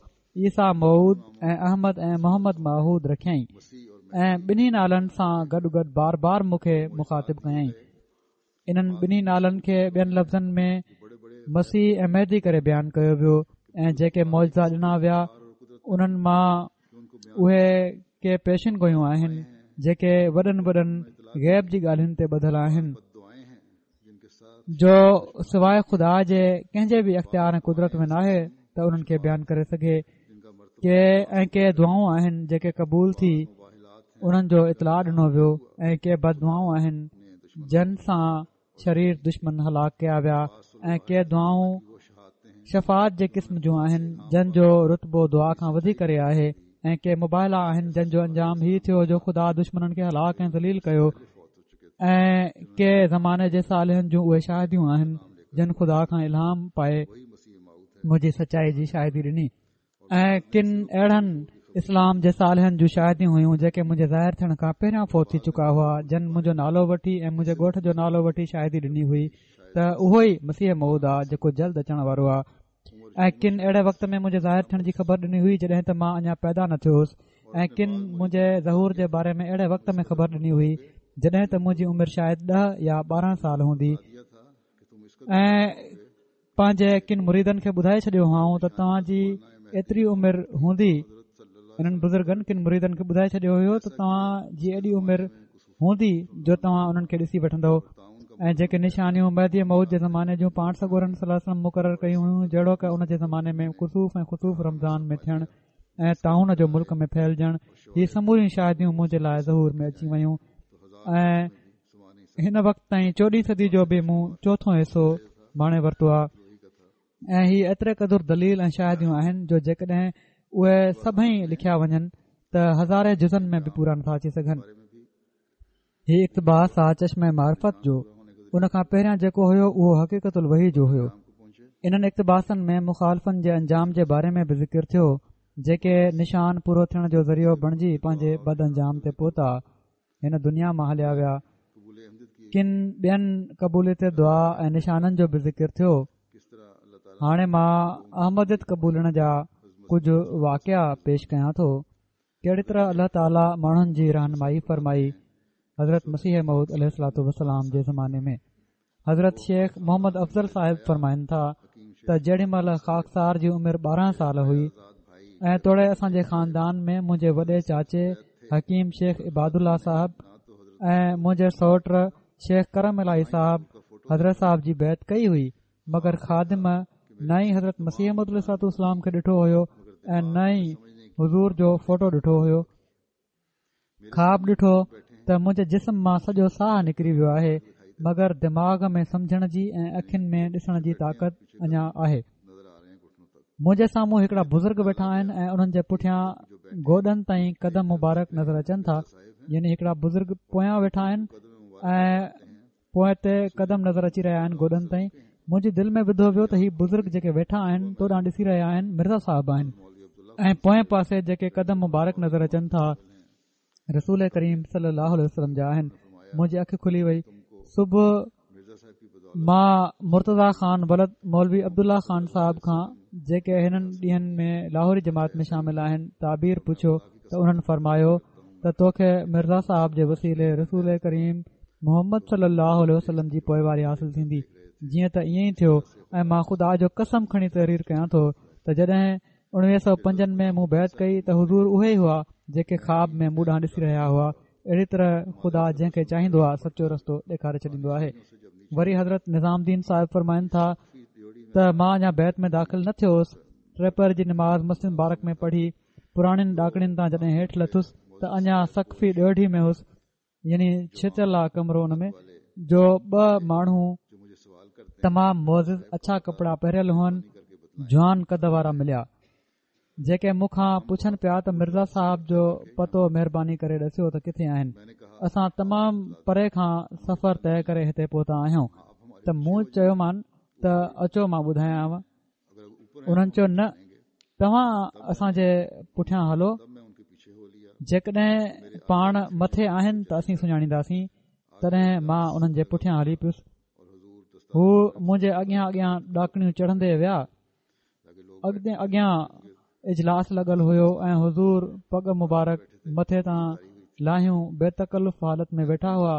عيسيٰ موعود ۽ احمد ۽ محمد معهود رکيائين ۽ ٻنهي نالن سان گڏ گڏ بار بار مون کي مخاطب ڪيائين. انهن ٻنهي نالن کي ٻين لفظن ۾ مسيح ۽ مهدي ڪري بيان ڪيو ويو ۽ جيڪي معجزا ڏنا ويا انهن مان اهي ڪي پيشن گويون آهن جيڪي وڏن وڏن غيب جي ڳالهين تي ٻڌل آهن جو سواءِ خدا جي ڪنهن جي به اختيار ۽ قدرت ۾ ناهي ته انهن کي بيان ڪري سگهي. ڪي ۽ ڪي دعائون آهن جيڪي قبول ٿي انهن جو اطلاع ڏنو ويو ۽ ڪي بد دعائون آهن جن سان شرير دشمن هلاڪ ڪيا ويا ۽ ڪي دعائون شفاعت جي قسم جون آهن جن جو رتبو دعا کان وڌي ڪري آهي ۽ ڪي مباهلا آهن جن جو انجام هي ٿيو جو خدا دشمنن کي هلاڪ ۽ ذليل ڪيو ۽ ڪي زماني جي صالحن جون اهي شاهديون آهن جن خدا کان الهام پائي منهنجي سچائي جي شاهدي ڏني ۽ ڪن اهڙن اسلام جي صالحن جون شاهديون هيون جيڪي منهنجي ظاهر ٿيڻ کان پهريان فوت ٿي چڪا هئا جن منهنجو نالو وٺي ۽ منهنجي ڳوٺ جو نالو وٺي شاهدي ڏني هئي ته اهو ئي مسيح موعود آهي جيڪو جلد اچڻ وارو آهي ۽ ڪن اهڙي وقت ۾ منهنجي ظاهر ٿيڻ جي خبر ڏني هئي جڏهن ته مان اڃا پيدا نه ٿيو هوس ۽ ڪن منهنجي ظهور جي باري ۾ اهڙي وقت ۾ خبر ڏني هئي جڏهن ته منهنجي عمر شايد ڏهه يا ٻارهن سال هوندي ۽ پنهنجي ڪن مريدن کي ٻڌائي ڇڏيو هئائون ته توهان جي ايتري عمر هوندي. انهن بزرگن ڪن مريدن کي ٻڌائي ڇڏيو هيو ته توهان جي ايڏي عمر هوندي جو توهان انهن کي ڏسي وٺندؤ ۽ جيڪي نشانيون مهدي موعود جي زماني جون پاڻ سڳورن صلي الله عليه وسلم مقرر ڪيون هيون، جهڙوڪ ان جي زماني ۾ ڪسوف ۽ خسوف رمضان ۾ ٿيڻ ۽ طاعون جو ملڪ ۾ ڦهلجڻ، هي سموريون شاهديون منهنجي لاء ظهور ۾ اچي ويون ۽ هن وقت تائين چوڏهين صدي جو به مون چوٿون حصو ماڻي ورتو آهي ۽ هي ايتري قدر دليل ۽ شاهديون آهن جو جيڪڏهن اهي سڀئي لکيا وڃن ته هزارين جزن ۾ به پورا نٿا اچي سگهن. هي اقتباس آ چشمه معرفت جو، ان کان پهريان جيڪو هيو اهو حقيقت الوحي جو هيو. انهن اقتباسن ۾ مخالفن جي انجام جي باري ۾ به ذڪر ٿيو، جيڪي نشان پورو ٿيڻ جو ذريعو بڻجي پنهنجي بد انجام تي پهتا، هن دنيا مان هليا ويا. ڪن ٻين قبوليت دعا ۽ نشانن جو به ذڪر ٿيو. هاڻي مان احمديت قبولڻ جا ڪجهه واقعا پيش ڪيان ٿو. ڪهڙي طرح الله تعاليٰ ماڻهن جي رهنمائي فرمائي حضرت مسيح موعود عليه الصلوة والسلام جي زماني ۾. حضرت شيخ محمد افضل صاحب فرمائن ٿا ته جيڏي مهل خاڪسار جي عمر ٻارهن سال هئي ۽ توڙي اسان جي خاندان ۾ منهنجي وڏي چاچي حڪيم شيخ عباد الله صاحب ۽ منهنجي سئوٽ شيخ ڪرم الاهي صاحب حضرت صاحب جي بيعت ڪئي هئي، مگر خادم نه ئي حضرت مسيح موعود عليه الصلوة والسلام کي ڏٺو هيو ۽ نه ئي حضور جو فوٽو ڏٺو هيو. خواب ڏٺو ته منهنجي جسم مان سڄو ساهه نڪري ويو آهي، مگر دماغ ۾ سمجهڻ جي ۽ اکين ۾ ڏسڻ جي طاقت اڃا آهي. منهنجي سامهون هڪڙا بزرگ ويٺا آهن ۽ انهن جي پٺيان گوڏن تائين قدم مبارڪ نظر اچن ٿا، يعني هڪڙا بزرگ پويان ويٺا آهن ۽ پوئتي قدم نظر اچي رهيا آهن گوڏن تائين. منهنجي دل ۾ وڌو ويو ته هي بزرگ جيڪي ويٺا آهن تو ڏانهن ڏسي رهيا آهن مرزا صاحب آهن ۽ پوئين پاسي جيڪي قدم مبارڪ نظر اچن ٿا رسول ڪريم صلي الله عليه وسلم جا آهن. منهنجي اک کلي وئي. صبح مان مرتضيٰ خان ولد مولوي عبدالله خان صاحب کان جيڪي هنن ڏينهن ۾ لاهوري جماعت ۾ شامل آهن تعبير پڇيو ته انهن فرمايو ته توکي مرزا صاحب جي وسيلي رسول ڪريم محمد صلي الله عليه وسلم جي پوئواري حاصل ٿيندي. جيئن ته ائين ئي ٿيو ۽ مان خدا جو قسم کڻي تحرير ڪيان ٿو ته جڏهن اڻويهه سؤ پنجن ۾ مون بيعت ڪئي ته حضور اهي ئي هئا جيڪي خواب ۾ مون ڏانهن ڏسي رهيا هئا. اهڙي طرح خدا جنهن کي چاهيندو آهي سچو رستو ڏيکاري ڇڏيندو آهي. وري حضرت نظام الدين صاحب فرمائن ٿا ته مان اڃا بيعت ۾ داخل نه ٿيو هوس، ٽي پهر جي نماز مسجد مبارڪ ۾ پڙهي پراڻين ڏاڪڻين تان جڏهن هيٺ لٿس ته اڃا سقفي ڏيوڍي ۾ هوس، يعني ڇتيل آ ڪمرو ان ۾ جو ٻه ماڻهو تمام معزز اڇا ڪپڙا پهريل هئن، جوان قد وارا مليا، جيڪي مون کان پڇن پيا ته مرزا صاحب جو پتو مهرباني ڪري ڏسيو ته ڪٿي آهن. اسان تمام پري کان سفر طئي ڪري هتي پهتا آهيون. ته مون چيومان ته اچو مان ٻڌايانو. انهن چيو نه، توهان اسان جي پٺيان هلو، جيڪڏهن پاڻ مٿي آهن ته اسين سڃاڻينداسين. تڏهن مان انهن جي پٺيان هلي پيس. هو منهنجي اڳيان اڳيان ڏاڪڻيون چڙهندي ويا. اڳتي اڳيان اجلاس لڳل هيو ۽ حضور پڳ مبارڪ مٿي تان لاهيون بي تڪلف حالت ۾ ويٺا هئا.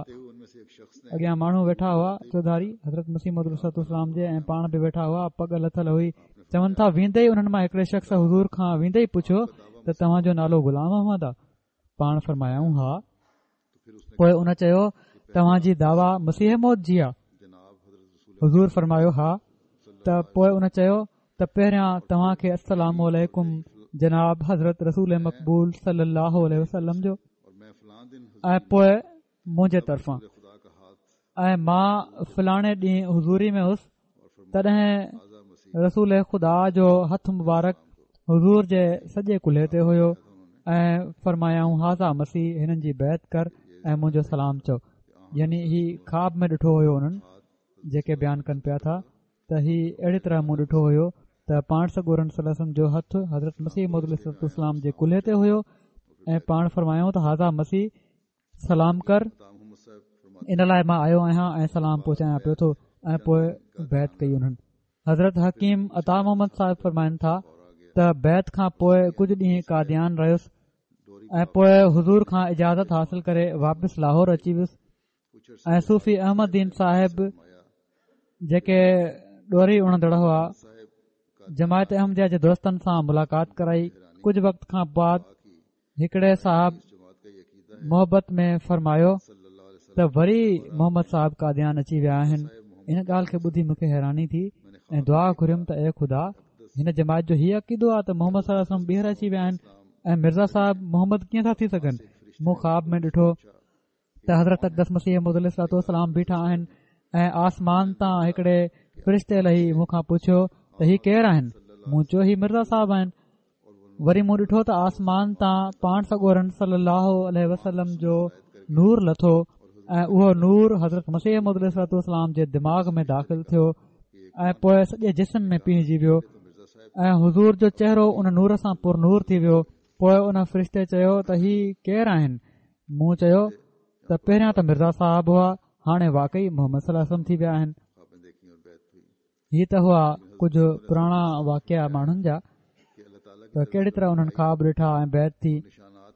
اڳيان ماڻهو ويٺا هئا چوڌاري حضرت مسيح موعود عليه الصلوة والسلام جي ۽ پاڻ به ويٺا هئا، پڳ لٿل هئي. چون ٿا ويندي ئي انهن مان هڪڙي شخص حضور کان ويندي ئي پڇيو ته توهان جو نالو غلام احمد آ؟ پاڻ فرمايائون ها. پوء ان چيو توهان جي دعويٰ مسيح موعود جي آ؟ حضور فرمايو ها. ته پوء ان چيو ته پهريان توهان کي السلام عليڪم جناب حضرت رسول مقبول صلي الله عليه وسلم جو ۽ پوء منهنجي طرفان، ۽ مان فلاڻي ڏينهن حضوري ۾ هوس تڏهن رسول خدا جو هٿ مبارڪ حضور جي سڄي ڪلهي تي هيو ۽ فرمايائون هذا مسيح، هنن جي بيعت ڪر ۽ منهنجو سلام چئو. يعني هي خواب ۾ ڏٺو هيو انهن جيڪي بيان ڪن پيا ٿا ته هي اهڙي طرح مون ڏٺو هيو ته پاڻ سڳورن صلي الله عليه وسلم جو هٿ حضرت مسيح موعود عليه الصلوة والسلام جي ڪلهي تي هيو ۽ پاڻ فرمايائون ته هذا مسيح، سلام ڪر، ان لاء مان آيو آهيان ۽ سلام پهچايان پيو ٿو. ۽ پوء بيعت ڪئي انهن. حضرت حڪيم عطا محمد صاحب فرمائن ٿا ته بيعت کان پوء ڪجهه ڏينهن قاديان رهيس ۽ پوء حضور کان اجازت حاصل ڪري واپس لاهور اچي ويس ۽ صوفي احمد دين صاحب جيڪي ڏوري اڻندڙ هئا جماعت احمديه جي دوستن سان ملاقات ڪرائي. ڪجهه وقت کان بعد هڪڙي صاحب محبت ۾ فرمايو ته وري محمد صاحب قاديان اچي ويا آهن. ان ڳالهه کي ٻڌي مون کي حيراني ٿي ۽ دعا گهريم ته اي خدا، هن جماعت جو هي عقيدو آهي ته محمد صلي الله عليه وسلم ٻيهر اچي ويا آهن ۽ مرزا صاحب محمد ڪيئن ٿا ٿي سگهن؟ مون خواب ۾ ڏٺو ته حضرت اقدس مسيح موعود عليه الصلوة والسلام بيٺا آهن ۽ آسمان تان هڪڙي فرشتي لهي مون کان پڇيو ته هي ڪير آهن؟ مون چيو هي مرزا صاحب آهن. وري مون ڏٺو ته آسمان تان پاڻ سڳورن صلي الله عليه وسلم جو نور لٿو ۽ اهو نور حضرت مسيح موعود عليه الصلوة والسلام جي دماغ ۾ داخل ٿيو ۽ پوءِ سڄي جسم ۾ پيهجي ويو ۽ حضور جو چهرو ان نور سان پر نور ٿي ويو. پوءِ ان فرشتي چيو ته هي ڪير آهن؟ مون چيو ته پهريان ته مرزا صاحب هئا، هاڻي واقعي محمد صلي الله عليه وسلم ٿي ويا آهن. هي ته هئا ڪجهه پراڻا واقعا ماڻهن جا ته ڪهڙي طرح انهن خواب ڏٺا ۽ بيعت ٿي.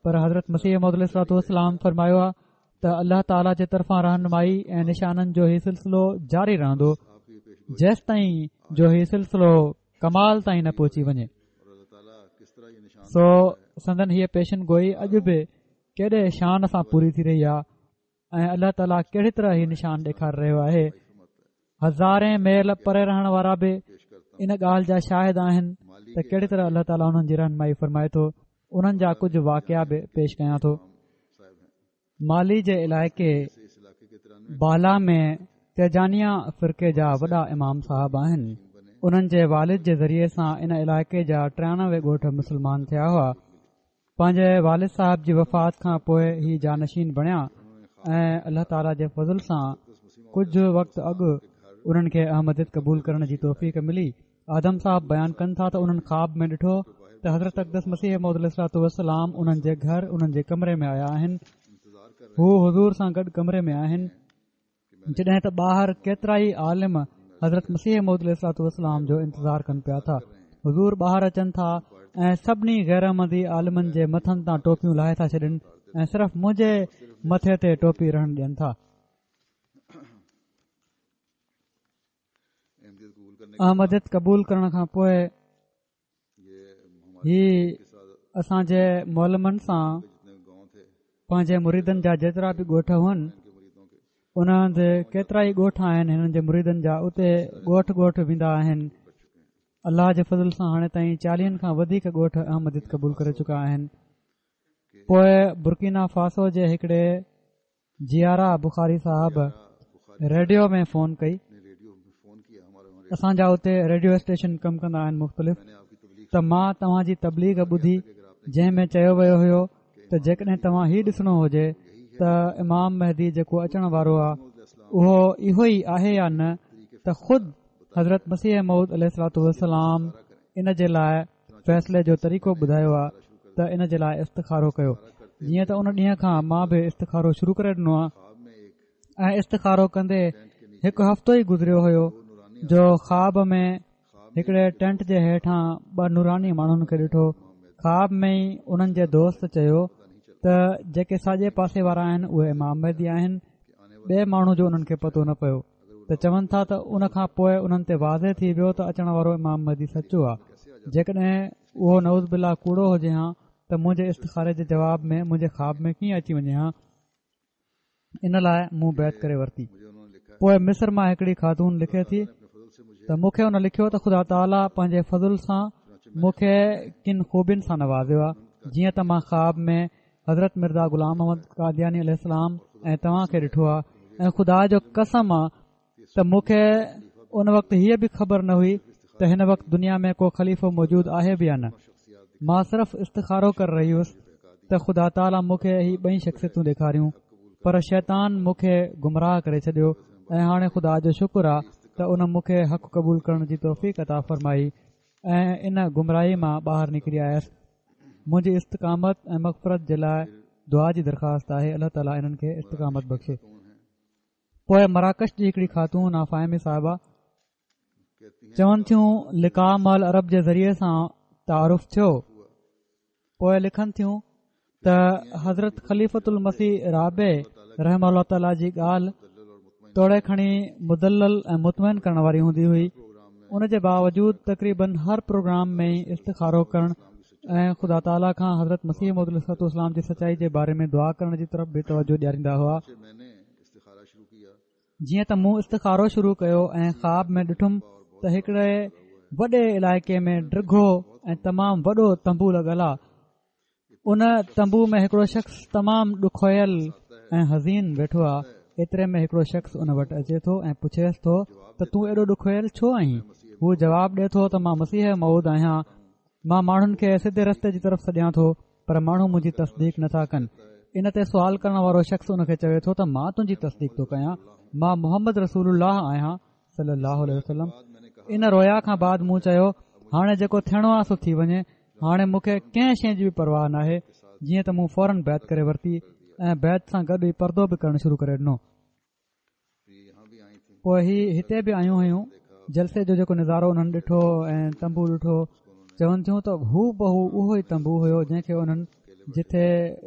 پر حضرت مسيح موعود عليه الصلوة والسلام فرمايو آهي ته الله تعاليٰ جي طرفان رهنمائي ۽ نشانن جو هي سلسلو جاري رهندو جيستائين جو هي سلسلو ڪمال تائين نه پهچي وڃي. سو سندن هيءَ پيشن گوئي اڄ به ڪيڏي شان سان پوري ٿي رهي آهي ۽ الله تعاليٰ ڪهڙي طرح هي نشان ڏيکاري رهيو آهي. هزارين ميل پري رهڻ وارا به ان ڳالهه جا شاهد آهن ته ڪهڙي طرح الله تعاليٰ انهن جي رهنمائي فرمائي ٿو. انهن جا ڪجهه واقعا به پيش ڪيان ٿو. مالي جي علائقي بالا ۾ تيجانيا فرقي جا وڏا امام صاحب آهن. انهن جي والد جي ذريعي سان ان علائقي جا ٽيانوي ڳوٺ مسلمان ٿيا هئا. پنهنجي والد صاحب جي وفات کان پوءِ هي جانشين بڻيا ۽ الله تعاليٰ جي فضل سان ڪجهه وقت اڳ انهن کي احمديت قبول ڪرڻ جي توفيق ملي. آدم صاحب بيان ڪن ٿا ته انهن خواب ۾ ڏٺو ته حضرت اقدس مسيح موعود عليه الصلوة والسلام انهن جي گهر انهن جي ڪمري ۾ آيا آهن. هو حضور سان گڏ ڪمري ۾ آهن، جڏهن ته ٻاهر ڪيترا ئي عالم حضرت مسيح موعود عليه الصلوة والسلام جو انتظار ڪن پيا ٿا. حضور ٻاهر اچن ٿا ۽ سڀني غير احمدي عالمن جي مٿن تان ٽوپيون لاهي ٿا ڇڏن ۽ صرف منهنجي مٿي تي ٽوپي رهڻ ڏين ٿا. احمديت قبول ڪرڻ کان پوءِ هي اسان جي معلمن سان پنهنجي مريدن جا جيترا به ڳوٺ هئن ان هنڌ ڪيترا ئي ڳوٺ آهن هنن جي مريدن جا، اتي ڳوٺ ڳوٺ ويندا آهن. الله جي فضل سان هاڻي تائين چاليهن کان وڌيڪ ڳوٺ احمديت قبول ڪري چڪا آهن. پوءِ برڪينا فاسو جي هڪڙي جيارا بخاري صاحب ريڊيو ۾ فون ڪئي. اسان جا اتي ريڊيو اسٽيشن ڪم ڪندا آهن مختلف، ته مان توهان جي تبليغ ٻڌي جنهن ۾ چيو ويو هيو ته جيڪڏهن توهان هي ڏسڻو هجي ته امام مهدي جيڪو اچڻ وارو آهي اهو اهو ئي آهي يا نه، ته خود حضرت مسيح موعود عليه الصلوة والسلام ان جي لاءِ فيصلي جو طريقو ٻڌايو آهي ته ان جي لاءِ استخارو ڪيو. جيئن ته ان ڏينهن کان مان به استخارو شروع ڪري ڏنو آهي ۽ استخارو ڪندي هڪ هفتو ئي گذريو هيو جو خواب ۾ هڪڙي ٽينٽ جي هيٺان ٻه نوراني ماڻهن کي ڏٺو. خواب ۾ ئي انهن جي دوست چيو ته جيڪي ساڄي پاسي وارا آهن اهي امام مهدي آهن. ٻئي ماڻهو جو انهن کي پتو نه پيو ته چون ٿا ته ان کان پوءِ انهن تي واضح ٿي ويو ته اچڻ وارو امام مهدي سچو آهي. جيڪڏهن اهو نعوذ بالله ڪوڙو هجي ها ته منهنجي استخاري جي جواب ۾ منهنجي خواب ۾ ڪيئن اچي وڃي ها؟ ان لاءِ مون بيعت ڪري ورتي. پوءِ مصر مان هڪڙي خاتون لکي ٿي ته مون کي ان لکيو ته خدا تعاليٰ پنهنجي فضل سان مون کي ڪن خوبين سان نوازيو آهي. جيئن ته مان خواب ۾ حضرت مرزا غلام احمد قادياني عليه السلام ۽ توهان کي ڏٺو آهي ۽ خدا جو قسم آهي ته مون کي ان وقت هيءَ به خبر نه هئي ته هن وقت دنيا ۾ ڪو خليفو موجود آهي به يا نه. مان صرف استخارو ڪري رهي هئس ته خدا تعاليٰ مون کي هي ٻئي شخصيتون ڏيکاريون، پر شيطان مون کي گمراهه ڪري ڇڏيو ۽ هاڻي خدا جو شڪر آهي ته ان مون کي حق قبول ڪرڻ جي توفيق عطا فرمائي ۽ ان گمراهي مان ٻاهر نڪري آيس. منهنجي استقامت ۽ مغفرت جي لاءِ دعا جي درخواست آهي. الله تعاليٰ انهن کي استقامت بخشي. پوءِ مراڪش جي هڪڙي خاتون آ فاهمي صاحبه، چون ٿيون لقاء مع العرب جي ذريعي سان تعارف ٿيو. پوءِ لکن ٿيون ته حضرت خليفة المسيح رابع رحمه الله تعاليٰ جي ڳالهه توڙي کڻي مدلل ۽ مطمئن ڪرڻ واري هوندي هئي، ان جي باوجود تقريبن هر پروگرام ۾ ئي استخارو ڪرڻ ۽ خدا تعاليٰ کان حضرت مسيح موعود عليه الصلوة والسلام جي سچائي جي باري ۾ دعا ڪرڻ جي طرف به توجه ڏياريندا هئا. جيئن ته مون استخارو شروع ڪيو ۽ خواب ۾ ڏٺم ته هڪڙي وڏي علائقي ۾ ڊگهو ۽ تمام وڏو تنبو لڳل آ. ان تنبو ۾ هڪڙو شخص تمام ڏکويل ۽ حزين ويٺو آ. ايتري ۾ هڪڙو شخص ان وٽ اچي ٿو ۽ پڇيس ٿو ته تون ايڏو ڏکويل ڇو آهين؟ هو جواب ڏي ٿو ته مان مسيح موعود آهيان، مان ماڻهن کي سڌي رستي جي طرف سڏيان ٿو پر ماڻهو منهنجي تصديق نٿا ڪن. ان تي سوال ڪرڻ وارو شخص ان کي چوي ٿو ته مان تنهنجي تصديق ٿو ڪيان، مان محمد رسول الله آهيان صلي الله عليه وسلم. ان رويا کان بعد مون چيو هاڻي جيڪو ٿيڻو آهي سو ٿي وڃي، هاڻي مون کي ڪنهن شيء جي به پرواهه ناهي. جيئن ته مون فورن بيعت ڪري ورتي ۽ بيعت سان گڏ ئي پردو به ڪرڻ شروع ڪري ڏنو. پوءِ هي هتي به آيون هيون. جلسي جو جيڪو نظارو انهن ڏٺو ۽ تنبو ڏٺو، چون ٿيون ته هو بهو اهو ئي تنبو هيو جنهن کي انهن جتي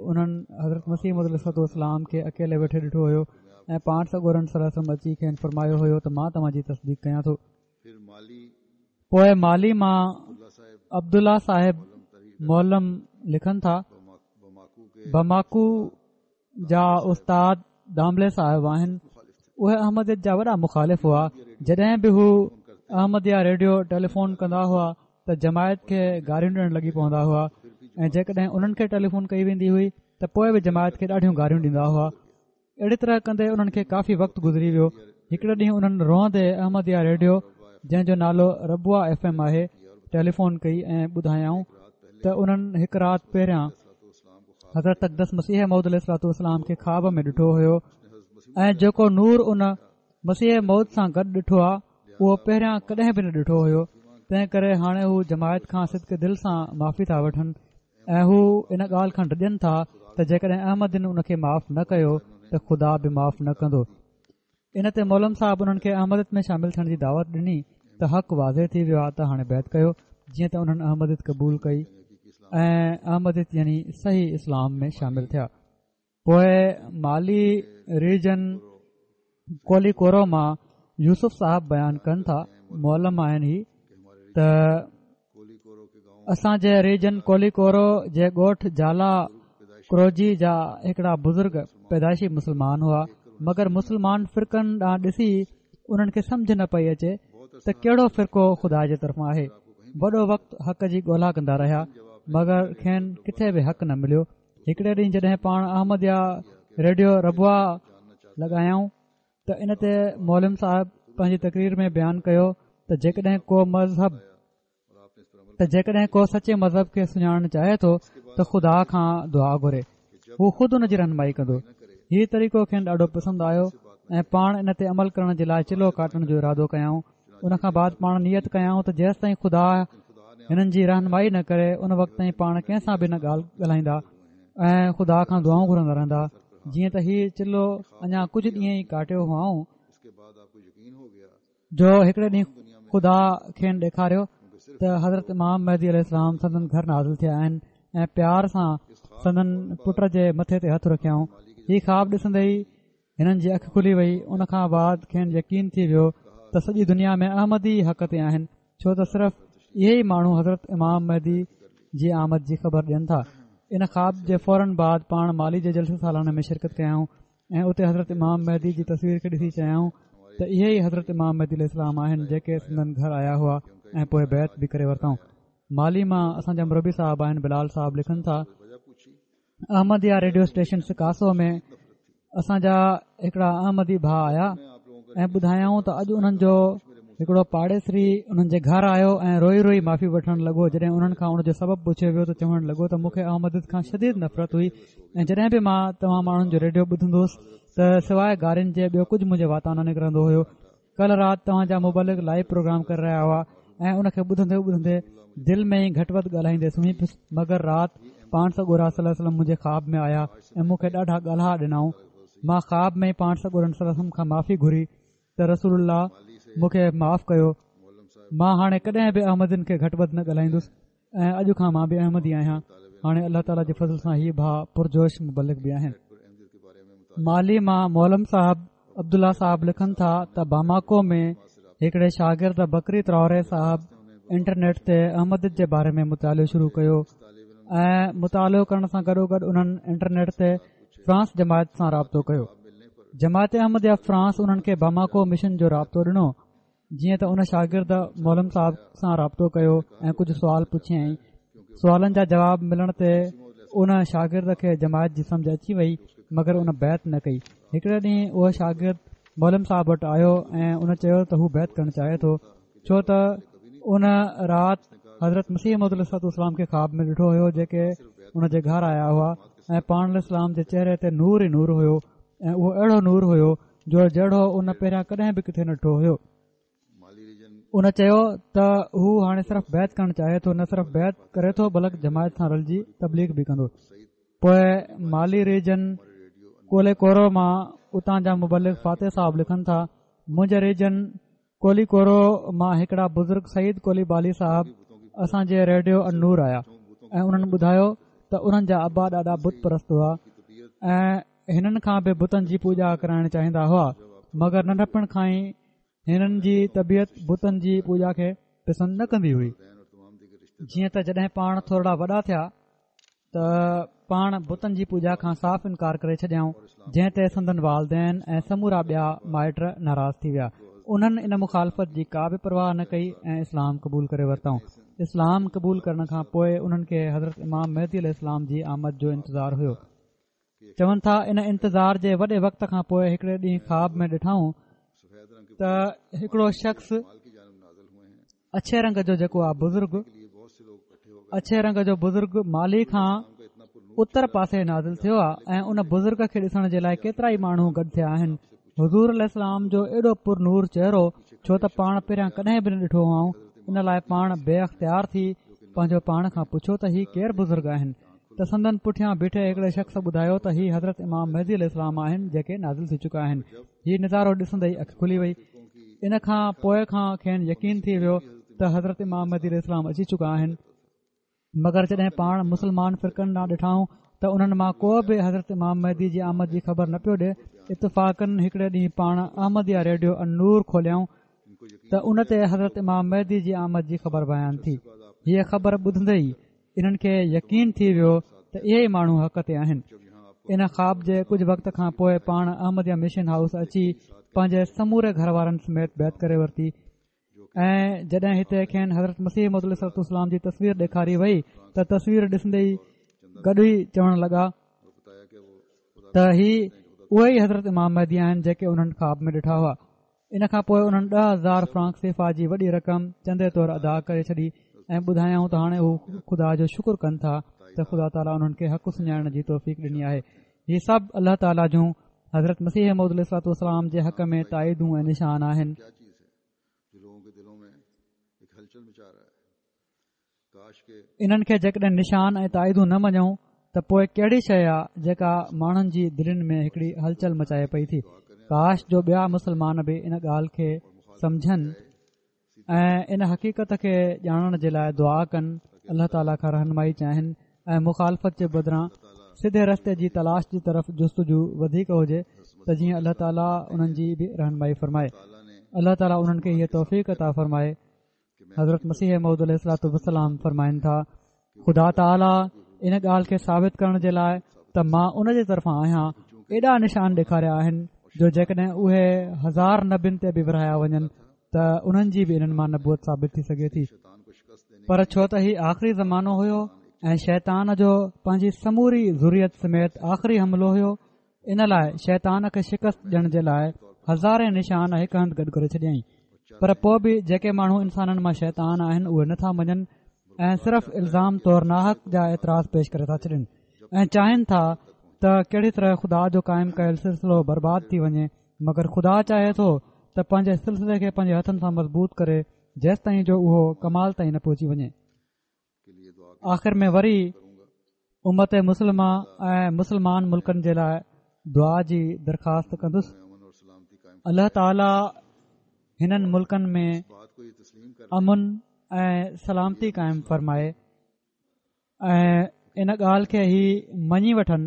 انهن حضرت مسيح موعود عليه الصلوة والسلام کي اڪيلي ويٺي ڏٺو هيو ۽ پاڻ سڳورن صلي الله عليه وسلم اچي کين فرمايو هيو ته مان توهان جي تصديق ڪيان ٿو. پوءِ مالي مان عبدالله صاحب معلم لکن ٿا، بماڪو جا استاد داملي صاحب آهن، اهي احمديت جا وڏا مخالف هئا. جڏهن به هو احمديه ريڊيو ٽيليفون ڪندا هئا ته جماعت کي گاريون ڏيڻ لڳي پوندا هئا ۽ جيڪڏهن انهن کي ٽيليفون ڪئي ويندي هئي ته پوءِ به جماعت کي ڏاڍيون گاريون ڏيندا هئا. اهڙي طرح ڪندي انهن کي ڪافي وقت گذري ويو. هڪڙي ڏينهن انهن روئندي احمديه ريڊيو جنهن جو نالو ربوه ايف ايم آهي ٽيليفون ڪئي ۽ ٻڌايائون ته انهن هڪ رات پهريان حضرت اقدس مسيح موعود عليه الصلوة والسلام کي خواب ۾ ڏٺو هيو ۽ جيڪو نور ان مسيح موعود سان گڏ ڏٺو آهي اهو پهريان ڪڏهن به نه ڏٺو هيو. تنهن ڪري هاڻي هو جماعت کان صدق دل سان معافي ٿا وٺن ۽ هو ان ڳالهه کان ڊڄن ٿا ته جيڪڏهن احمدين ان کي معاف نه ڪيو ته خدا به معاف نه ڪندو. ان تي معلم صاحب انهن کي احمديت ۾ شامل ٿيڻ جي دعوت ڏني ته حق واضح ٿي ويو آهي ته هاڻي بيعت ڪيو. جيئن ته انهن احمديت قبول ڪئي ۽ احمديت يعني صحيح اسلام ۾ شامل ٿيا. پوءِ مالي ريجن ڪولي ڪورو مان يوسف صاحب بيان ڪن ٿا، معلم آهن هي، ته اسان جي ريجن ڪولي ڪورو جي ڳوٺ جالا ڪروجي جا هڪڙا بزرگ پيدائشي مسلمان هئا، مگر مسلمان فرقن ڏانهن ڏسي انهن کي سمجهه نه پئي اچي ته ڪهڙو فرقو خدا جي طرفان آهي. وڏو وقت حق جي ڳولا ڪندا رهيا مگر کين ڪٿي به حق نه مليو. هڪڙي ڏينهن جڏهن پاڻ احمديه ريڊيو ربوه لڳايائون ته ان تي معلم صاحب پنهنجي تقرير ۾ بيان ڪيو ته جيڪڏهن ڪو مذهب ته جيڪڏهن ڪو سچي مذهب کي سڃاڻڻ چاهي ٿو ته خدا کان دعا گهري، هو خود ان جي رهنمائي ڪندو. هي طريقو کين ڏاڍو پسند آيو ۽ پاڻ ان تي عمل ڪرڻ جي لاءِ چلو ڪاٽڻ جو ارادو ڪيائون. ان کان بعد پاڻ نيت ڪيائون ته جيستائين خدا هنن جي رهنمائي نه ڪري ان وقت تائين پاڻ ڪنهن سان به نه ڳالهه ڳالهائيندا ۽ خدا کان دعائون گهرندا رهندا. جيئن ته هي چلو اڃا ڪجهه ڏينهن ئي ڪاٽيو هئائون جو هڪڙي ڏينهن خدا کين ڏيکاريو ته حضرت امام مهدي عليه السلام سندن گهر نازل ٿيا آهن ۽ پيار سان سندن پٽ جي مٿي تي هٿ رکيائون. هي خواب ڏسندي ئي هنن جي اک کلي وئي. ان کان بعد کين يقين ٿي ويو ته سڄي دنيا ۾ احمدي حق تي آهن، ڇو ته صرف اهي ئي ماڻهو حضرت امام مهدي جي آمد جي خبر ڏين ٿا. ان خواب جي فورن بعد پاڻ مالي جي جلسي سالانه ۾ شرڪت ڪيائون ۽ اتي حضرت امام مهدي جي تصوير کي ڏسي چيائون ته اهي ئي حضرت امام مهدي عليه السلام آهن جيڪي سندن گهر آيا هئا ۽ پوءِ بيعت به ڪري ورتائون. مالي مان اسان جا مربي صاحب آهن بلال صاحب لکن ٿا، احمديه ريڊيو اسٽيشن سڪاسو ۾ اسان جا هڪڙا احمدي ڀاءُ آيا ۽ ٻڌايائون ته اڄ انهن جو هڪڙو پاڙيسري انهن جي گهر آيو ۽ روئي روئي معافي وٺڻ لڳو. جڏهن انهن کان ان جو سبب پڇيو ويو ته چوڻ لڳو ته مون کي احمديت کان شديد نفرت هئي ۽ جڏهن به مان توهان ماڻهن جو ريڊيو ٻڌندو هوس ته سواءِ گارين جي ٻيو ڪجهه منهنجي واتان نه نڪرندو هيو. ڪل رات توهان جا مبلغ لائيو پروگرام ڪري رهيا هئا ۽ ان کي ٻڌندي ٻڌندي دل ۾ ئي گهٽ وڌ ڳالهائيندي سمهي پيس، مگر رات پاڻ سڳورا صلي الله عليه وسلم منهنجي خواب ۾ آيا ۽ مون کي ڏاڍا ڳالها ڏنائون. مان خواب ۾ ئي پاڻ سڳورن صلي الله عليه وسلم کان معافي گهري ته رسول الله مون کي معاف ڪيو، مان هاڻي ڪڏهن به احمدين کي گهٽ وڌ نه ڳالهائيندس ۽ اڄ کان مان به احمدي آهيان. هاڻي الله تعاليٰ جي فضل سان هي ڀاءُ پرجوش مبلغ به آهن. مالي مان معلم صاحب عبدالله صاحب لکن ٿا ته باماڪو ۾ هڪڙي شاگرد بڪري تراوري صاحب انٽرنيٽ تي احمديت جي باري ۾ مطالعو شروع ڪيو ۽ مطالعو ڪرڻ سان گڏوگڏ انهن انٽرنيٽ تي فرانس جماعت سان رابطو ڪيو. جماعت احمديه فرانس انهن کي باماڪو مشن جو رابطو ڏنو. جيئن ته ان شاگرد معلم صاحب سان رابطو ڪيو ۽ ڪجهه سوال پڇيائين. سوالن جا جواب ملڻ تي ان شاگرد کي جماعت جي سمجهه اچي وئي، مگر ان بيعت نه ڪئي. هڪڙي ڏينهن اهو شاگرد معلم صاحب وٽ آيو ۽ ان چيو ته هو بيعت ڪرڻ چاهي ٿو، ڇو ته ان رات حضرت مسيح موعود عليه الصلوة والسلام کي خواب ۾ ڏٺو هيو، جيڪي ان جي گهر آيا هئا ۽ پاڻ عليه السلام جي چهري تي نور ئي نور هيو ۽ اهو اهڙو نور هيو جو جهڙو ان پهريان ڪڏهن به ڪٿي نه ڏٺو هيو. ان چيو ته هو هاڻي صرف بيعت ڪرڻ چاهي ٿو، نه صرف بيعت ڪري ٿو بلڪ جماعت سان رلجي تبليغ به ڪندو. پوءِ مالي ريجن ڪولي ڪورو مان اتان جا مبلغ فاتح صاحب لکن ٿا، منهنجي ريجن ڪولي ڪورو مان هڪڙا بزرگ سعيد ڪولي بالي صاحب اسان جي ريڊيو النور آيا ۽ انهن ٻڌايو ته انهن جا ابا ڏاڏا بت پرست هئا ۽ هنن کان به بتن جي پوڄا ڪرائڻ چاهيندا هئا، مگر ننڍپڻ کان ئي هنن جي طبيعت بتن جي پوڄا کي پسند نه ڪندي هئي. جيئن ته جڏهن پاڻ ٿورڙا وڏا ٿيا ته پاڻ بتن جي پوڄا کان صاف انڪار ڪري ڇڏيائون، جنهن تي سندن والدين ۽ سمورا ٻيا مائٽ ناراض ٿي ويا. انهن ان مخالفت جي ڪا به پرواهه نه ڪئي ۽ اسلام قبول ڪري ورتائون. اسلام قبول ڪرڻ کان پوءِ انهن کي حضرت امام مهدي عليه السلام جي آمد جو انتظار هيو. چون ٿا ان انتظار جي وڏي وقت کان پوءِ هڪڙي ڏينهن خواب ۾ ڏٺائون ته هڪڙو شخص اڇي رنگ جو جيڪو آ بزرگ اڇي رنگ جو بزرگ مالي کان اتر پاسي نازل ٿيو آ ۽ ان بزرگ کي ڏسڻ جي لاءِ ڪيترا ئي ماڻهو گڏ ٿيا آهن. حضور عليه السلام جو ايڏو پر نور چهرو، ڇو ته پاڻ پهريان ڪڏهن به نه ڏٺو هئائون، ان لاءِ پاڻ بي اختيار ٿي پنهنجو پاڻ کان پڇيو ته هي ڪير بزرگ آهن؟ ته سندن پٺيان بيٺي هڪڙي شخص ٻڌايو ته هي حضرت امام مهدي عليه السلام آهن جيڪي نازل ٿي چڪا آهن. هي نظارو ڏسندي ئي اک کلي وئي. ان کان پوءِ کان کين يقين ٿي ويو ته حضرت امام مهدي عليه السلام اچي چڪا آهن. مگر جڏهن پاڻ مسلمان فرقن ڏانهن ڏٺائون ته انهن مان ڪو به حضرت امام مهدي جي آمد جي خبر نه پيو ڏئي. اتفاقن هڪڙي ڏينهن پاڻ احمديه ريڊيو النور کوليائون ته ان تي حضرت امام مهدي جي آمد جي خبر بيان ٿي. هيءَ خبر ٻڌندي ئي انهن کي يقين ٿي ويو ته اهي ئي ماڻهو حق تي آهن. ان خواب جي ڪجهه وقت کان پوءِ پاڻ احمديه مشن هائوس اچي پنهنجي سموري گهر وارن سميت بيعت ڪري ورتي ۽ جڏهن هتي کين حضرت مسيح موعود عليه الصلوة والسلام جي تصوير ڏيکاري وئي ته تصوير ڏسندي ئي گڏ ئي چوڻ لڳا ته هي اهي ئي حضرت امام مهدي آهن جيڪي انهن خواب ۾ ڏٺا هئا. ان کان پوءِ انهن ڏهه هزار فرانڪ سيفا جي وڏي رقم چندي طور ادا ڪري ڇڏي ۽ ٻڌايائون ته هاڻي هو خدا جو شڪر ڪن ٿا ته خدا تعاليٰ انهن کي حق سڃاڻڻ جي توفيق ڏني آهي. هي سڀ الله تعاليٰ جون حضرت مسيح موعود عليه الصلوة والسلام جي حق ۾ تائيدون ۽ نشان آهن. انهن کي جيڪڏهن نشان ۽ تائيدون نه مڃون ته پوءِ ڪهڙي شيءِ آهي جيڪا ماڻهن جي دلين ۾ هڪڙي هلچل مچائي پئي ٿي؟ ڪاش جو ٻيا مسلمان به ان ڳالهه کي سمجهن ۽ ان حقيقت کي ڄاڻڻ جي لاءِ دعا ڪن، الله تعاليٰ کان رهنمائي چاهين ۽ مخالفت جي بدران سڌي رستي جي تلاش جي طرف جستجو وڌيڪ هجي ته جيئن الله تعاليٰ انهن جي به رهنمائي فرمائي. الله تعاليٰ انهن کي هيءَ توفيق عطا فرمائي. حضرت مسيح موعود عليه الصلوة والسلام فرمائن ٿا، خدا تعاليٰ ان ڳالهه کي ثابت ڪرڻ جي لاءِ ته مان ان جي طرفان آهيان ايڏا نشان ڏيکاريا آهن جو جيڪڏهن اهي هزار نبين تي به ورهايا وڃن ته انهن جي به انهن مان نبوت ثابت ٿي سگهي ٿي. پر ڇو ته هي آخري زمانو هيو ۽ شيطان جو پنهنجي سموري ذريت سميت آخري حملو هيو، ان لاءِ شيطان کي شڪست ڏيڻ جي لاءِ هزارين نشان هڪ هنڌ گڏ ڪري ڇڏيائين. پر پوءِ به جيڪي ماڻهو انسانن مان شيطان آهن اهي نٿا مڃن ۽ صرف الزام طور ناحق جا اعتراض پيش ڪري ٿا ڇڏن ۽ چاهين ٿا ته ڪهڙي طرح خدا جو قائم ڪيل سلسلو برباد ٿي وڃي. مگر خدا چاهي ٿو ته پنهنجي سلسلي کي پنهنجي هٿن سان مضبوط ڪري جيستائين جو اهو ڪمال تائين نه پهچي وڃي. آخر ۾ وري امت مسلمه ۽ مسلمان ملڪن جي لاءِ دعا جي درخواست ڪندس. الله تعاليٰ هنن ملڪن ۾ امن ۽ سلامتي قائم فرمائي ۽ ان ڳالهه کي هي مڃي وٺن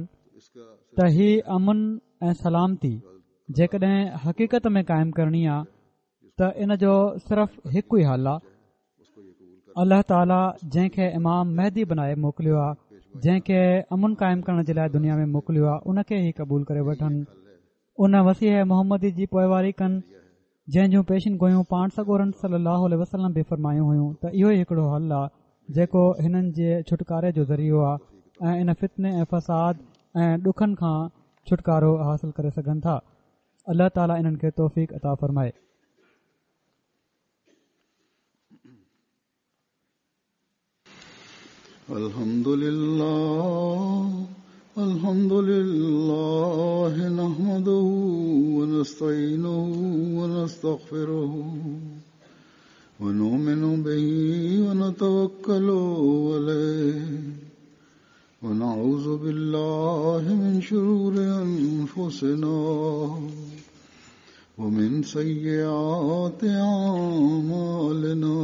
ته هي امن ۽ سلامتي جيڪڏهن حقيقت ۾ قائم ڪرڻي آهي ته ان جو صرف هڪ ئي حل آهي. الله تعاليٰ جنهن کي امام مهدي بنائي موڪليو آهي، جنهن کي امن قائم ڪرڻ جي لاءِ دنيا ۾ موڪليو آهي، ان کي ئي قبول ڪري وٺن، ان مسيح محمدي جي پوئواري ڪن جنهن جون پيشن گويون پاڻ سڳورن صلي الله عليه وسلم به فرمايون هيون ته اهو ئي هڪڙو حل آهي جيڪو هنن جي ڇوٽڪاري جو ذريعو آهي ۽ ان فتني ۽ فساد ۽ ڏکن کان ڇوٽڪارو حاصل ڪري سگهن ٿا. الله تعاليٰ انهن کي توفيق عطا فرمائي. الحمد لله الحمد لله نحمده ونستعينه ونستغفره ونؤمن به ونتوكل عليه ونعوذ بالله من شرور أنفسنا ومن سيئات أعمالنا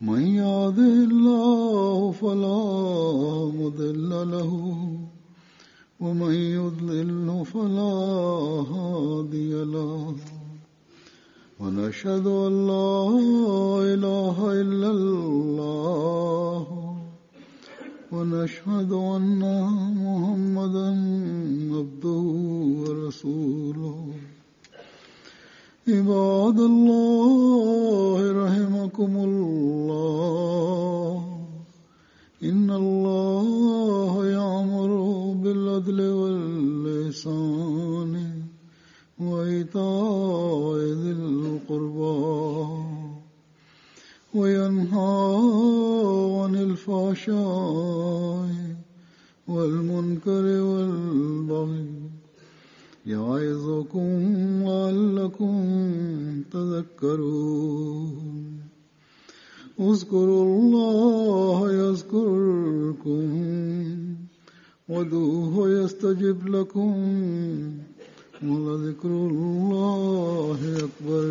من يهده الله فلا مضل له ومن يضلل فلا هادي له ونشهد أن لا إله إلا الله ونشهد أن محمدا عبده ورسوله. عباد الله رحمكم الله إن الله يأمر بالعدل والإحسان وإيتاء ذي القربى وينهى عن الفحشاء والمنكر والبغي يعظكم لعلكم تذكرون. اذكروا الله يذكركم وادعوه يستجب لكم ولذكر الله أكبر.